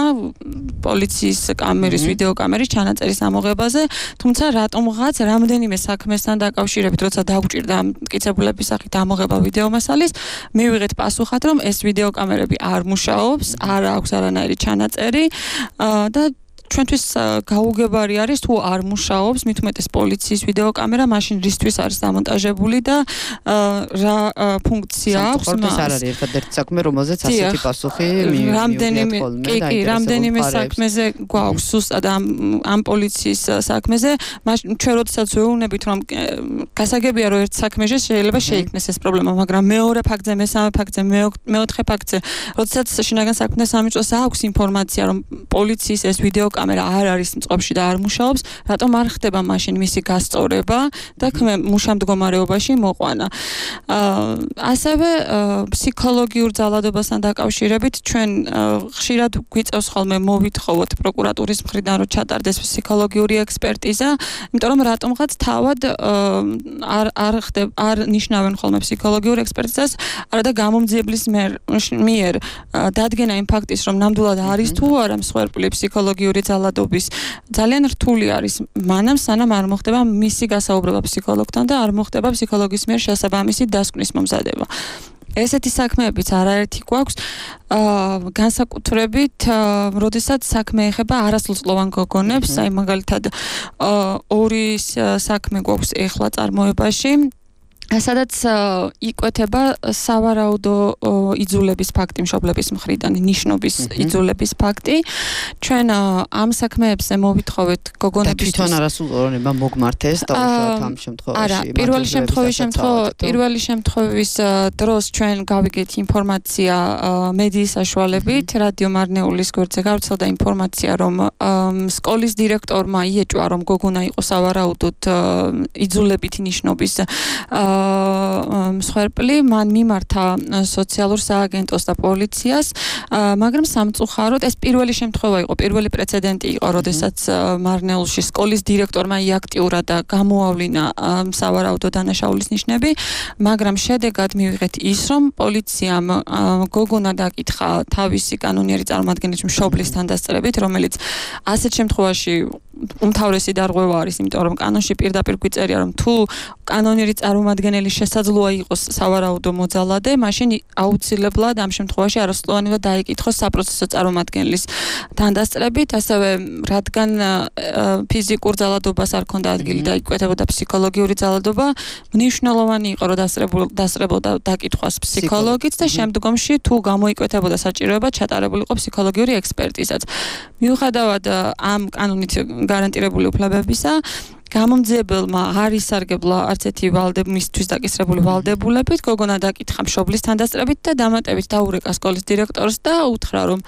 პოლიციის კამერის ვიდეო კამერის ჩანაწერის ამოღებაზე, თუმცა რატომღაც რამდენიმე საქმესთან დაკავშირებით, როცა დაგვჭირდა მტკიცებულების სახით ამოღება ვიდეო მასალის, მივიღეთ პასუხად, რომ ეს ვიდეო კამერები არ მუშაობს, არ აქვს არანაირი ჩანაწერი და ჩვენთვის გაუგებარი არის თუ არ მუშაობს, მით უმეტეს პოლიციის ვიდეო კამერა, მაშინ რისთვის არის დამონტაჟებული და რა ფუნქცია აქვს მას. ეს არ არის ერთადერთი საქმე, რომელზეც ასეთი პასუხი რამდენიმე საქმეზე გვაქვს ზუსტად ამ პოლიციის საქმეზე, ჩვენ როდესაც ვეუბნებით, რომ გასაგებია, რომ ერთ საქმეში შეიძლება შეიქმნეს ეს პრობლემა, მაგრამ მეორე ფაქტზე, მესამე ფაქტზე, მეოთხე ფაქტზე, როდესაც შინაგან საქმეთა სამინისტროს აქვს ინფორმაცია, რომ პოლიციის ეს ვიდეო კამერა არ არის მწყობში და არ მუშაობს, რატომ არ ხდება მაშინ მისი გასწორება და მუშა მდგომარეობაში მოყვანა. ასევე ფსიქოლოგიურ ძალადობასთან დაკავშირებით ჩვენ ხშირად გვიწევს ხოლმე მოვითხოვოთ პროკურატურის მხრიდან, რომ ჩატარდეს ფსიქოლოგიური ექსპერტიზა, იმიტომ რომ რატომღაც თავად არ ნიშნავენ ხოლმე ფსიქოლოგიურ ექსპერტიზას, არადა გამომძიებლის მიერ დადგენა იმ ფაქტის, რომ ნამდვილად არის თუ არა მსხვერპლი ფსიქოლოგიური ძალადობის ძალიან რთული არის მანამ სანამ არ მოხდება მისი გასაუბრება ფსიქოლოგთან და არ მოხდება ფსიქოლოგის მიერ შესაბამისი დასკვნის მომზადება. ესეთი საქმეებიც არაერთი გვაქვს, განსაკუთრებით, როდესაც საქმე ეხება არასრულწლოვან გოგონებს, აი მაგალითად ორი საქმე გვაქვს ეხლა წარმოებაში. სადაც იკვეთება სავარაუდო იძულების ფაქტი მშობლების მხრიდან, ნიშნობის იძულების ფაქტი. ჩვენ ამ საქმეებზე მოვითხოვეთ გოგონებისთვის. თვითონ არასრულწლოვანება მოგმართეს და უშუალოდ ამ შემთხვევაში. არა, პირველი შემთხვევის დროს ჩვენ გავიგეთ ინფორმაცია მედიის საშუალებით, რადიო მარნეულის გვერდზე გავრცელდა ინფორმაცია, რომ სკოლის დირექტორმა იეჭვა, რომ გოგონა იყო სავარაუდოდ იძულებითი ნიშნობის მსხვერპლი, მან მიმართა სოციალურ სააგენტოს და პოლიციას, მაგრამ სამწუხაროდ ეს პირველი შემთხვევა იყო, პირველი პრეცედენტი იყო, როდესაც მარნეულში სკოლის დირექტორმა იაქტიურა და გამოავლინა სავარაუდო დანაშაულის ნიშნები, მაგრამ შედეგად მივიღეთ ის, რომ პოლიციამ გოგონა დაკითხა თავისი კანონიერი წარმოადგენლის მშობლისთან დასწრებით, რომელიც ასეთ შემთხვევაში უმთავრესი დარღვევა არის, იმიტომ რომ კანონში პირდაპირ გვიწერია, რომ თუ კანონიერი წარმომადგენელი შესაძლოა იყოს სავარაუდო მოძალადე, მაშინ აუცილებლად ამ შემთხვევაში არასრულოვანად დაიკითხოს საპროცესო წარმომადგენლის თანდასწრებით, ასევე რადგან ფიზიკურ ძალადობას არ ქონდა ადგილი და იკვეთებოდა ფსიქოლოგიური ძალადობა, მნიშვნელოვანი იყო რომ დასწრებოდა დაკითხვას ფსიქოლოგიც და შემდგომში თუ გამოიკვეთებოდა საჭიროება ჩატარებულიყო ფსიქოლოგიური ექსპერტიზაც. მიუხედავად ამ კანონით გარანტირებული უფლებებისა, გამომძიებელმა არ ისარგებლა არც ერთი მისთვის დაკისრებული ვალდებულებით, გოგონა დაკითხა მშობლის თანდასწრებით და დამატებით დაურეკა სკოლის დირექტორს და უთხრა, რომ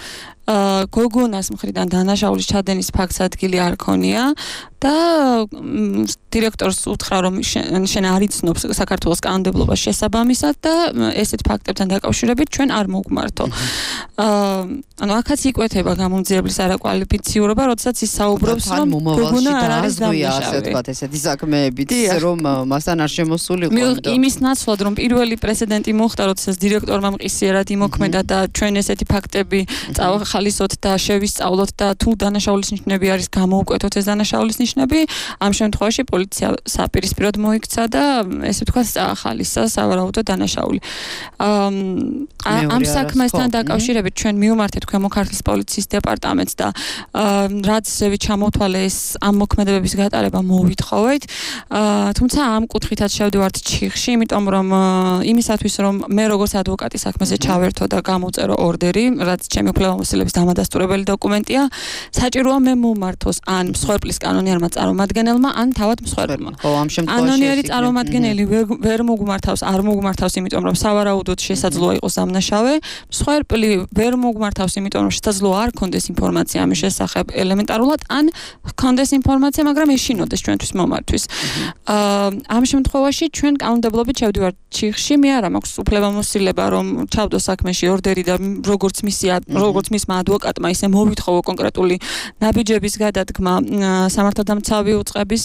გოგონას მხრიდან დანაშაულის ჩადენის ფაქტს ადგილი არ ქონია და დირექტორს უთხრა, რომ შენ არ იცნობს საქართველოს კანონმდებლობას შესაბამისად და ესეთ ფაქტებთან დაკავშირებით ჩვენ არ მოგმართო. ანუ აქაც იკვეთება გამომძიებლის არაკვალიფიციურობა, როდესაც ის საუბრობს, რომ გოგონა არ არის დამნაშავე. ესეთი საქმეებით, რომ მასთან არ შემოსულიყო. იმის ნაცვლად, რომ პირველი პრეცედენტი მოხდა, როდესაც დირექტორმა მყისიერად იმოქმედა და ჩვენ ესეთი ფაქტები წავახალისოთ და შევისწავლოთ და თუ დანაშაულის ნიშნები არის გამოუკვეთოთ ეს დანაშაულის ნიშნები, ამ შემთხვევაში პოლიცია საპირისპიროდ მოიქცა და ესე ვთქვათ წაახალისა სავარაუდო დანაშაული. ამ საქმესთან დაკავშირებით ჩვენ მივმართეთ ქვემო ქართლის პოლიციის დეპარტამენტს და რაც ჩამოთვალე ეს ამ მოქმედებების გატარება მოვითხოვეთ. თუმცა ამ კუთხითაც შევდივართ ჩიხში, იმიტომ რომ იმისათვის რომ მე როგორც ადვოკატი საქმეზე ჩავერთო და გამოვწერო ორდერი, რაც ჩემი უფლებამოსილების დამადასტურებელი დოკუმენტია, საჭიროა მე მომართოს ან მსხვერპლის კანონიერმა წარმომადგენელმა, ან თავად მსხვერპლმა. კანონიერი წარმომადგენელი ვერ მოგმართავს, არ მოგმართავს, იმიტომ რომ სავარაუდოდ შესაძლოა იყოს დამნაშავე, მსხვერპლი ვერ მოგმართავს, იმიტომ რომ შესაძლოა არ ქონდეს ინფორმაცია ამის შესახებ ელემენტარულად, ან ქონდეს ინფორმაცია, მაგრამ ეშინოდეს ჩვენთვის მომართვის. ამ შემთხვევაში ჩვენ კანონმდებლობით შევდივართ ჩიხში, მე არა მაქვს უფლებამოსილება რომ ჩავდო საქმეში ორდერი და როგორც მისმა ადვოკატმა ისე მოვითხოვო კონკრეტული ნაბიჯების გადადგმა სამართალდამცავი უწყების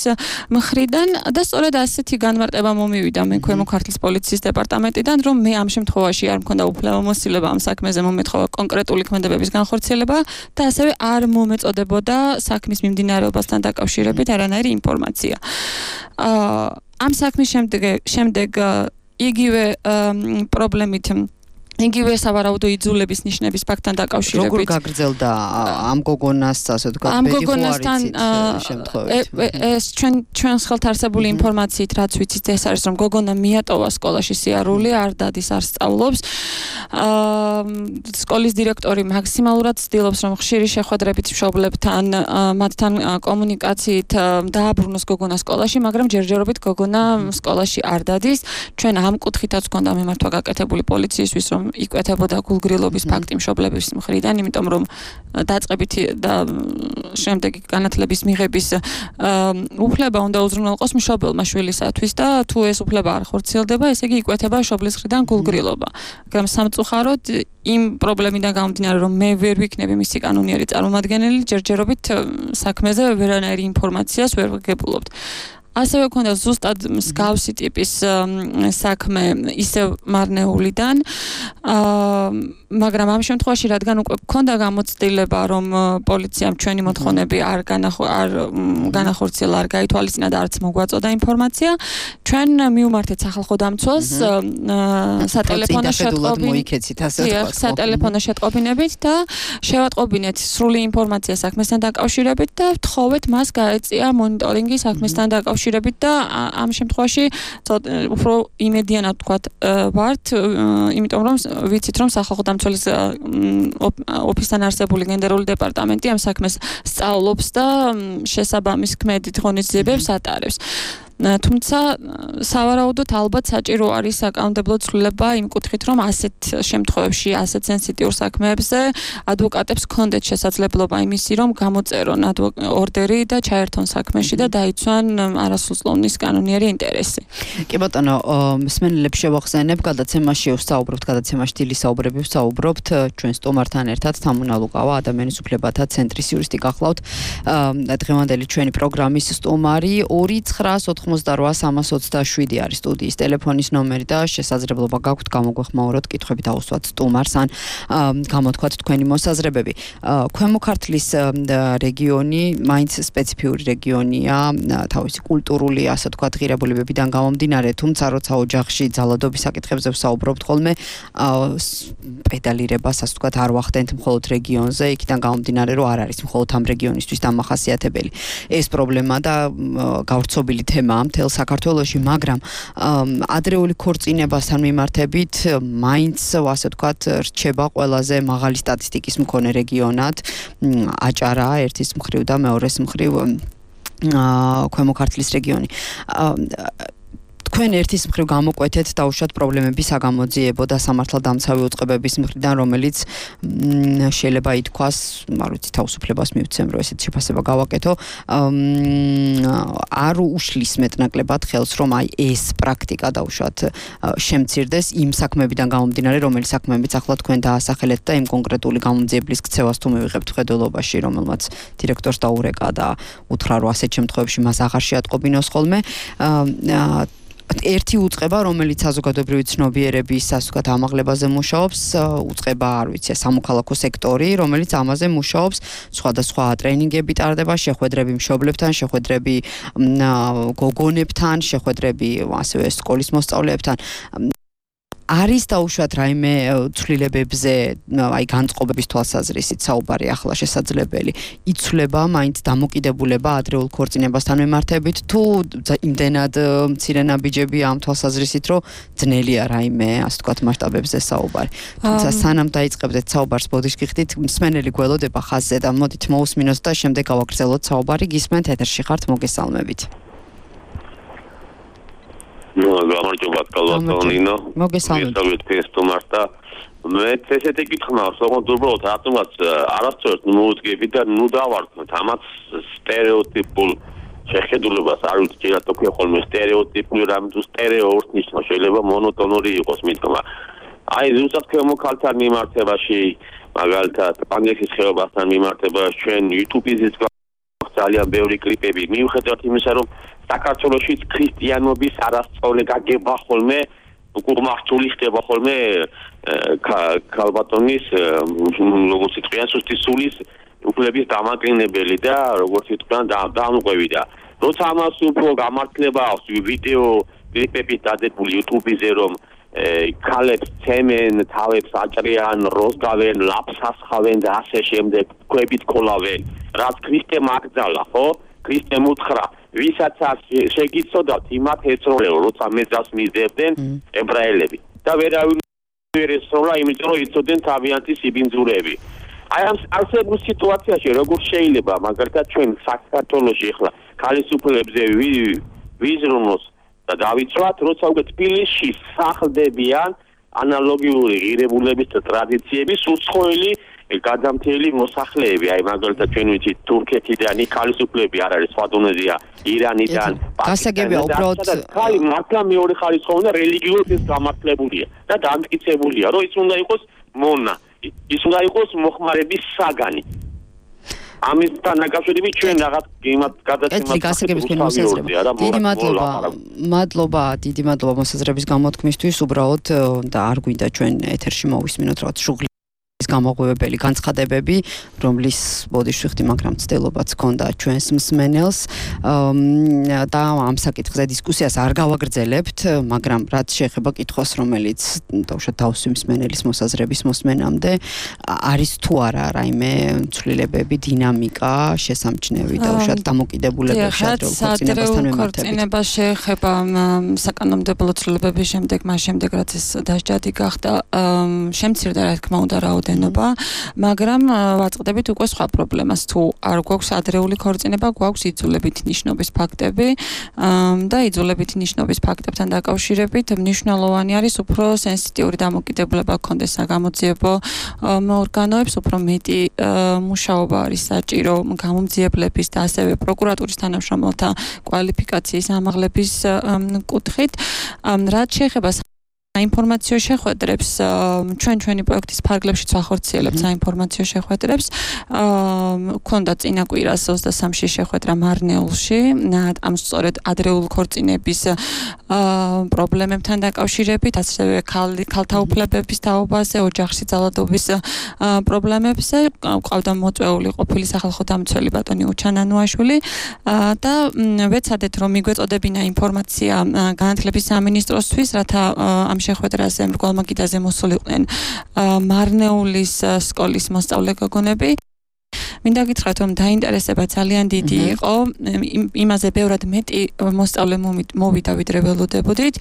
მხრიდან და სწორედ ასეთი განმარტება მომივიდა მე ქვემო ქართლის პოლიციის დეპარტამენტიდან, რომ მე ამ შემთხვევაში არ მქონდა უფლებამოსილება ამ საქმეზე მომეთხოვა კონკრეტული ქმედებების განხორციელება და ასევე არ მომეწოდებოდა საქმის მიმდინარეობასთან დაკავშირებით არანაირი ინფორმაცია. ამ საქმის შემდეგ იგივე პრობლემით იგივე სავარაუდო იძულების ნიშნების ფაქტთან დაკავშირებით. როგორ გაგრძელდა ამ გოგონას, ასე ვთქვათ, ბედიხუარიცით შემთხვევით? ეს ჩვენს ხელთ არსებული ინფორმაციით, რაც ვიცით, ეს არის, რომ გოგონა მიატოვა სკოლაში სიარული, არ დადის, არ სწავლობს. სკოლის დირექტორი მაქსიმალურად ცდილობს, რომ ხშირი შეხვედრებით მშობლებთან, მათთან კომუნიკაციით დააბრუნოს გოგონა სკოლაში, მაგრამ ჯერჯერობით გოგონა სკოლაში არ დადის. ჩვენ ამ კუთხითაც გქონდა მიმართვა გაკეთებული პოლიციისთვის, რომ იკვეთებოდა გულგრილობის ფაქტი მშობლების მხრიდან, იმიტომ რომ დაწყებითი და შემდეგი განათლების მიღების უფლება უნდა უზრუნველყოს მშობელმა შვილისათვის და თუ ეს უფლება არ ხორციელდება, ესე იგი იკვეთება მშობლის მხრიდან გულგრილობა. მაგრამ სამწუხაროდ იმ პრობლემიდან გამომდინარე, რომ მე ვერ ვიქნები მისი კანონიერი წარმომადგენელი, ჯერჯერობით საქმეზე ვერანაირი ინფორმაციას ვერ ვგებულობთ. ასევე ქონდა ზუსტად მსგავსი ტიპის საქმე ისევ მარნეულიდან, მაგრამ ამ შემთხვევაში რადგან უკვე ქონდა გამოცდილება, რომ პოლიციამ ჩვენი მოთხოვნები არ განახორციელა, არ გაითვალისწინა და არც მოგვაწოდა ინფორმაცია, ჩვენ მივმართეთ სახალხო დამცველს სატელეფონო შეტყობინებით და შევატყობინეთ სრული ინფორმაცია საქმესთან დაკავშირებით და ვთხოვეთ მას გაეწია მონიტორინგი საქმესთან დაკავშირებით და ამ შემთხვევაში უფრო იმედიანად ვთქვათ ვართ, იმიტომ რომ ვიცით, რომ სახალხო დამცველის ოფისთან არსებული გენერალური დეპარტამენტი ამ საქმეს სწავლობს და შესაბამის ქმედით ღონისძიებებს ატარებს. თუმცა სავარაუდოდ ალბათ საჭირო არის საკანონმდებლო ცვლილება იმ კუთხით, რომ ასეთ შემთხვევებში, ასეთ სენსიტიურ საქმეებზე ადვოკატებს ჰქონდეთ შესაძლებლობა იმისი, რომ გამოწერონ ორდერი და ჩაერთონ საქმეში და დაიცვან არასრულწლოვნის კანონიერი ინტერესი. კი ბატონო, მსმენელებს შევახსენებ, გადაცემაში ვსაუბრობთ, გადაცემაში დილის საუბრები ვსაუბრობთ ჩვენ სტუმართან ერთად, თამუნა ლუკავა, ადამიანის უფლებათა ცენტრის იურისტი გახლავთ. დღევანდელი ჩვენი პროგრამის სტუმარი 2990 088-327 არის სტუდიის ტელეფონის ნომერი და შესაძლებლობა გაქვთ გამოგვეხმაუროთ კითხვები დაუსვათ სტუმარს ან გამოთქვათ თქვენი მოსაზრებები. ქვემო ქართლის რეგიონი მაინც სპეციფიური რეგიონია, თავისი კულტურული, ასე ვთქვათ, ღირებულებებიდან გამომდინარე, თუმცა როცა ოჯახში ძალადობის საკითხებზე ვსაუბრობთ ხოლმე, პედალირებას, ასე ვთქვათ, არ ვახდენთ მხოლოდ რეგიონზე, იქიდან გამომდინარე, რომ არ არის მხოლოდ ამ რეგიონისთვის დამახასიათებელი ეს პრობლემა და გავრცობილი თემაა მთელ საქართველოში, მაგრამ ადრეული ქორწინებასთან მიმართებით მაინც, ასე ვთქვათ, რჩება ყველაზე მაღალი სტატისტიკის მქონე რეგიონად აჭარა ერთის მხრივ და მეორეს მხრივ ქვემო ქართლის რეგიონი. თქვენ ერთის მხრივ გამოკვეთეთ დაუშვათ პრობლემების საგამოძიებო და სამართალდამცავი უწყებების მხრიდან, რომელიც შეიძლება ითქვას, არ ვიცი, თავისუფლებას მივცემ, რომ ესეთ შეფასება გავაკეთო, არ უშლის მეტნაკლებად ხელს, რომ აი ეს პრაქტიკა დაუშვათ შემცირდეს იმ საქმეებიდან გამომდინარე, რომელი საქმეებიც ახლა თქვენ დაასახელეთ და იმ კონკრეტული გამომძიებლის ქცევას თუ მივიღებთ ხედველობაში, რომელმაც დირექტორს დაურეკა და უთხრა, რომ ასეთ შემთხვევებში მას აღარ შეატყობინოს ხოლმე. ერთი უწყება, რომელიც საზოგადოებრივი ცნობიერების, ასე ვთქვათ, ამაღლებაზე მუშაობს, უწყება, არ ვიცი, სამოქალაქო სექტორი, რომელიც ამაზე მუშაობს, სხვადასხვა ტრენინგები ტარდება, შეხვედრები მშობლებთან, შეხვედრები გოგონებთან, შეხვედრები ასევე სკოლის მოსწავლეებთან. არის დაუშვათ რაიმე ცვლილებებზე, აი განწყობების თვალსაზრისით საუბარი ახლა შესაძლებელი. იცვლება მაინც დამოკიდებულება ადრეულ ქორწინებასთან მიმართებით, თუ იმდენად მცირე ნაბიჯები ამ თვალსაზრისით, რომ ძნელია რაიმე, ასე ვთქვათ, მასშტაბებზე საუბარი. თუმცა სანამ დაიწყებდეთ საუბარს, ბოდიშკიხდით, მსმენელი გველოდება ხაზზე და მოდით მოусმინოთ და შემდეგ გავაგრძელოთ საუბარი. გისმენთ, ეთერში ხართ, მოგესალმებით. გამარჯობა კალვატონინო. მოგესალმებით სტუმარს და მე ესეთი კითხვა მაქვს, თუმცა უბრალოდ რატომაც არასწორად მოუძგები და ნუ დავარქმევთ ამას სტერეოტიპულ შეხედულებას, არ ვიცი, ჯერათო ქვია ხოლმე სტერეოტიპული რამ თუ სტერეოურს ნიშნავს, შეიძლება მონოტონური იყოს მითქმა. აი ზუსტად ქვემო ქალთან მიმართებაში, მაგალითად, პანგექის ხეობასთან მიმართებაში ჩვენ YouTube-იზეც ძალიან ბევრი კლიპები მიუხედავად იმისა, რომ საქართველოში ქრისტიანობის არასწორე გაგება ხოლმე, უკუღმართული ხდება ხოლმე ქალბატონის, როგორც იტყვიან, სუსტისულის უფლების დამაკნინებელი და როგორც იტყვიან, დამოყვევი და როცა ამას უფრო გამართლება აქვს ვიდეო კლიპებით დადებული YouTube-ზე, რომ ქალებს ცემენ, თავებს აჭრიან, როზგავენ, ლაფს ასხავენ და ასე შემდეგ, ქვებით კოლავენ, რაც ქრისტემ აკრძალა, ხო? ქრისტემ უთხრა, ვისაც შეგიცოდათ, იმათ ეწროლებო, როცა მეძავს მისდევდნენ ებრაელები. და ვერავინ ვერ ესროლა, იმიტომ რომ იცოდნენ თავიანთი სიბინძურები. აი ამ არსებულ სიტუაციაში როგორ შეიძლება, მაგალითად ჩვენ საქართველოში ახლა ქალისუფლებზე ვიზრუნოს და დავიცვათ, როცა უკვე თბილისში სახლდებიან ანალოგიური ღირებულების და ტრადიციების უცხოელი გადამთელი მოსახლეები, აი მაგალითად ჩვენ ვიცით თურქეთიდან ქალისუფლები არ არის, სხვა დონეზეა ირანიდან, გასაგებია უბრალოდ ხალი მართლა მეორე ხარისხოვანი და რელიგიურად ეს გამართლებულია და დამტკიცებულია, რომ ის უნდა იყოს მონა, ის უნდა იყოს მოხმარების საგანი. ამისთან დაკავშირებით ჩვენ რაღაც იმათ გადაცემას დიდი მადლობა მოსაზრების გამოთქმისთვის, უბრალოდ და არ გვინდა ჩვენ ეთერში მოვისმინოთ რაღაც შუღლის გამოღვევებელი განცხადებები, რომლის ბოდიშვიხდი, მაგრამ ცდილობაც ჰქონდა ჩვენს მსმენელს და ამ საკითხზე დისკუსიას არ გავაგრძელებთ, მაგრამ რაც შეეხება კითხვას, რომელიც დაუშვათ თავისი მსმენელის მოსაზრების მოსმენამდე, არის თუ არა რაიმე ცვლილებები, დინამიკა, შესამჩნევი დაუშვათ დამოკიდებულებებში ადრეულ ქორწინებასთან მიმართებით. ქორწინება შეეხება საკანონმდებლო ცვლილებების შემდეგ, მას შემდეგ რაც ეს დასჯადი გახდა, შემცირდა რა თქმა უნდა რაოდენობა, მაგრამ ვაწყდებით უკვე სხვა პრობლემას. თუ არ გვაქვს ადრეული ქორწინება, გვაქვს იძულებითი ნიშნობის ფაქტები და იძულებითი ნიშნობის ფაქტებთან დაკავშირებით მნიშვნელოვანი არის უფრო სენსიტიური დამოკიდებულება გქონდეს საგამოძიებო ორგანოებს, უფრო მეტი მუშაობა არის საჭირო გამომძიებლების და ასევე პროკურატურის თანამშრომელთა კვალიფიკაციის ამაღლების კუთხით. რაც შეეხება საინფორმაციო შეხვედრებს ჩვენი პროექტის ფარგლებშიც ვახორციელებთ საინფორმაციო შეხვედრებს. ქონდა წინა კვირას 23-ში შეხვედრა მარნეულში, ამ სწორედ ადრეული ქორწინების პრობლემებთან დაკავშირებით, ასევე ქალთა უფლებების თაობაზე, ოჯახში ძალადობის პრობლემებზე. ყავდა მოწვეული ყოფილი სახალხო დამცველი ბატონი უჩანანუაშვილი და ვეცადეთ რომ მიგვეწოდებინა ინფორმაცია განათლების სამინისტროსთვის, რათა ამ შეხვედრაზე მრგვალმა კიდაზე მოსულიყვნენ მარნეულის სკოლის მოსწავლე გოგონები. მინდა გითხრათ რომ დაინტერესება ძალიან დიდი იყო, იმაზე ბევრად მეტი მოსწავლე მოვიდა ვიდრე ველოდებოდით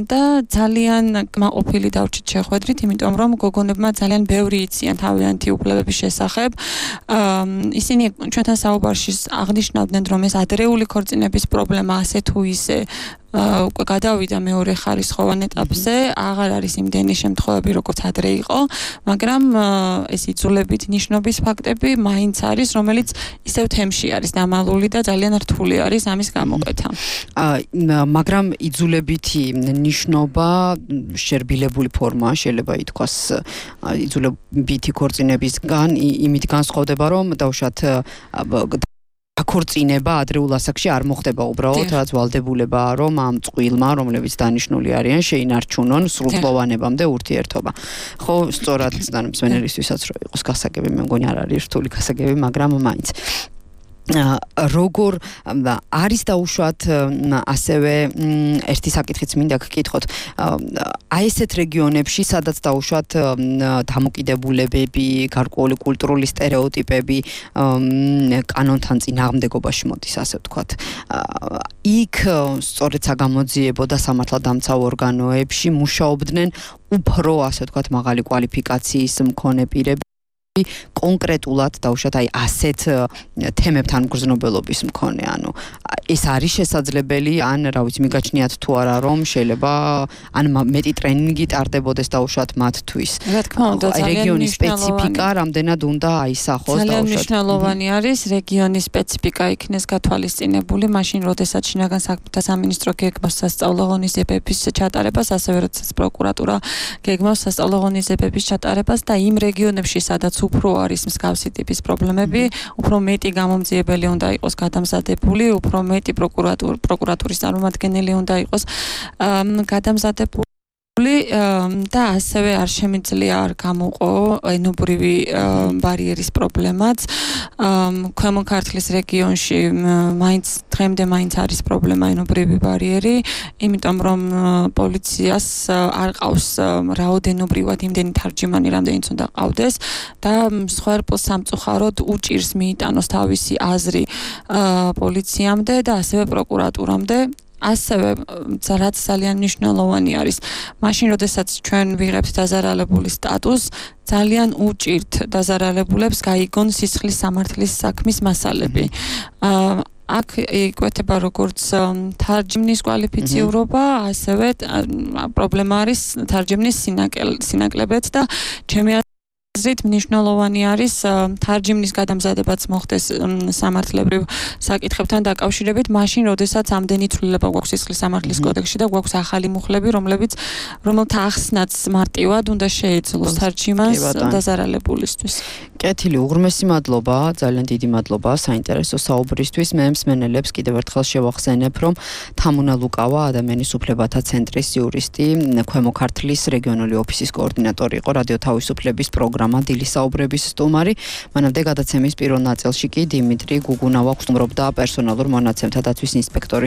და ძალიან კმაყოფილი დავრჩით შეხვედრით, იმიტომ რომ გოგონებმა ძალიან ბევრი იციან თავიანთი უფლებების შესახებ. ისინი ჩვენთან საუბარში აღნიშნავდნენ რომ ეს ადრეული ქორწინების პრობლემა ასე თუ ისე უკვე გადავიდა მეორე ხარისხოვან ეტაპზე, აღარ არის იმდენი შემთხვევები, როგორც ადრე იყო, მაგრამ ეს იძულებით ნიშნობის ფაქტები მაინც არის, რომელიც ისევ თემში არის დამალული და ძალიან რთული არის ამის გამოკვეთა. მაგრამ იძულებითი ნიშნობა შერბილებული ფორმაა, შეიძლება ითქვას იძულებითი ქორწინებისგან, იმით განსხვავდება, რომ დავუშვათ აქორწინება ადრეულ ასაკში არ მოხდება უბრალოდ, რაც ვალდებულებაა, რომ ამ წყვილმა, რომლებიც დანიშნული არიან, შეინარჩუნონ სრულწლოვანებამდე ურთიერთობა. ხო, სწორად მსმენელისთვისაც რო იყოს გასაგები, მე მგონი არ არის რთული გასაგები, მაგრამ მაინც როგორ არის დაუშვათ ასევე ერთი საკითხიც მინდა გკითხოთ. აი ესეთ რეგიონებში, სადაც დაუშვათ დამოკიდებულებები, გარკვეული კულტურული სტერეოტიპები კანონთან წინააღმდეგობაში მოდის, ასე ვთქვათ. იქ სწორედ საგამოძიებო და სამართალდამცავ ორგანოებში მუშაობდნენ უფრო, ასე ვთქვათ, მაღალი კვალიფიკაციის მქონე პირები. კონკრეტულად დაუშვათ აი ასეთ თემებთან მგრძნობელობის მქონე, ანუ ეს არის შესაძლებელი, ან რა ვიცი, მიგაჩნიათ თუ არა რომ შეიძლება ან მეტი ტრენინგი ტარდებოდეს დაუშვათ მათთვის. რა თქმა უნდა, რეგიონის სპეციფიკა რამდენად უნდა აისახოს დაუშვათ. ძალიან მნიშვნელოვანი არის რეგიონის სპეციფიკა იქნეს გათვალისწინებული, მაშინ როდესაც შინაგან საქმეთა სამინისტრო გეგმავს სასწავლო ღონისძიებების ჩატარებას, ასევე როდესაც პროკურატურა გეგმავს სასწავლო ღონისძიებების ჩატარებას და იმ რეგიონებში, სადაც უფრო არის მსგავსი ტიპის პრობლემები, უფრო მეტი გამომძიებელი უნდა იყოს გადამზადებული, უფრო მეტი პროკურატურის წარმომადგენელი უნდა იყოს გადამზადებული და ასევე არ შემიძლია არ გამოყო ენობრივი ბარიერის პრობლემაც. ქვემო ქართლის რეგიონში დღემდე მაინც არის პრობლემა ენობრივი ბარიერი, იმიტომ რომ პოლიციას არ ყავს რაოდენობრივად იმდენი თარჯიმანი, რამდენიც უნდა ყავდეს და მსხვერპლს სამწუხაროდ უჭირს მიიტანოს თავისი აზრი პოლიციამდე და ასევე პროკურატურამდე. ასევე რაც ძალიან მნიშვნელოვანი არის, მაშინ როდესაც ჩვენ ვიღებთ დაზარალებული სტატუსს, ძალიან უჭირთ დაზარალებულებს გაიგონ სისხლის სამართლის საქმის მასალები. აქ იკვეთება როგორც თარჯიმნის კვალიფიციურობა, ასევე პრობლემა არის თარჯიმნის სინაკლებიც და ჩემი აზრით მნიშვნელოვანი არის თარჯიმნის გადამზადებაც მოხდეს სამართლებრივ საკითხებთან დაკავშირებით, მაშინ როდესაც ამდენი ცვლილება გვაქვს სისხლის სამართლის კოდექსში და გვაქვს ახალი მუხლები, რომელთა ახსნაც მარტივად უნდა შეეძლოს თარჯიმანს დაზარალებულისთვის. კეთილი, უღრმესი მადლობა, ძალიან დიდი მადლობა საინტერესო საუბრისთვის. მე მსმენელებს კიდევ ერთხელ შევახსენებ, რომ თამუნა ლუკავა, ადამიანის უფლებათა ცენტრის იურისტი, ქვემო ქართლის რეგიონული ოფისის კოორდინატორი იყო, რადიო თავისუფლების პროგრამა დილის საუბრების სტუმარი. მანამდე გადაცემის პირველ ნაწილში კი დიმიტრი გუგუნავა გრძნობდა პერსონალურ მონაცემთა დაცვის ინსპექტორის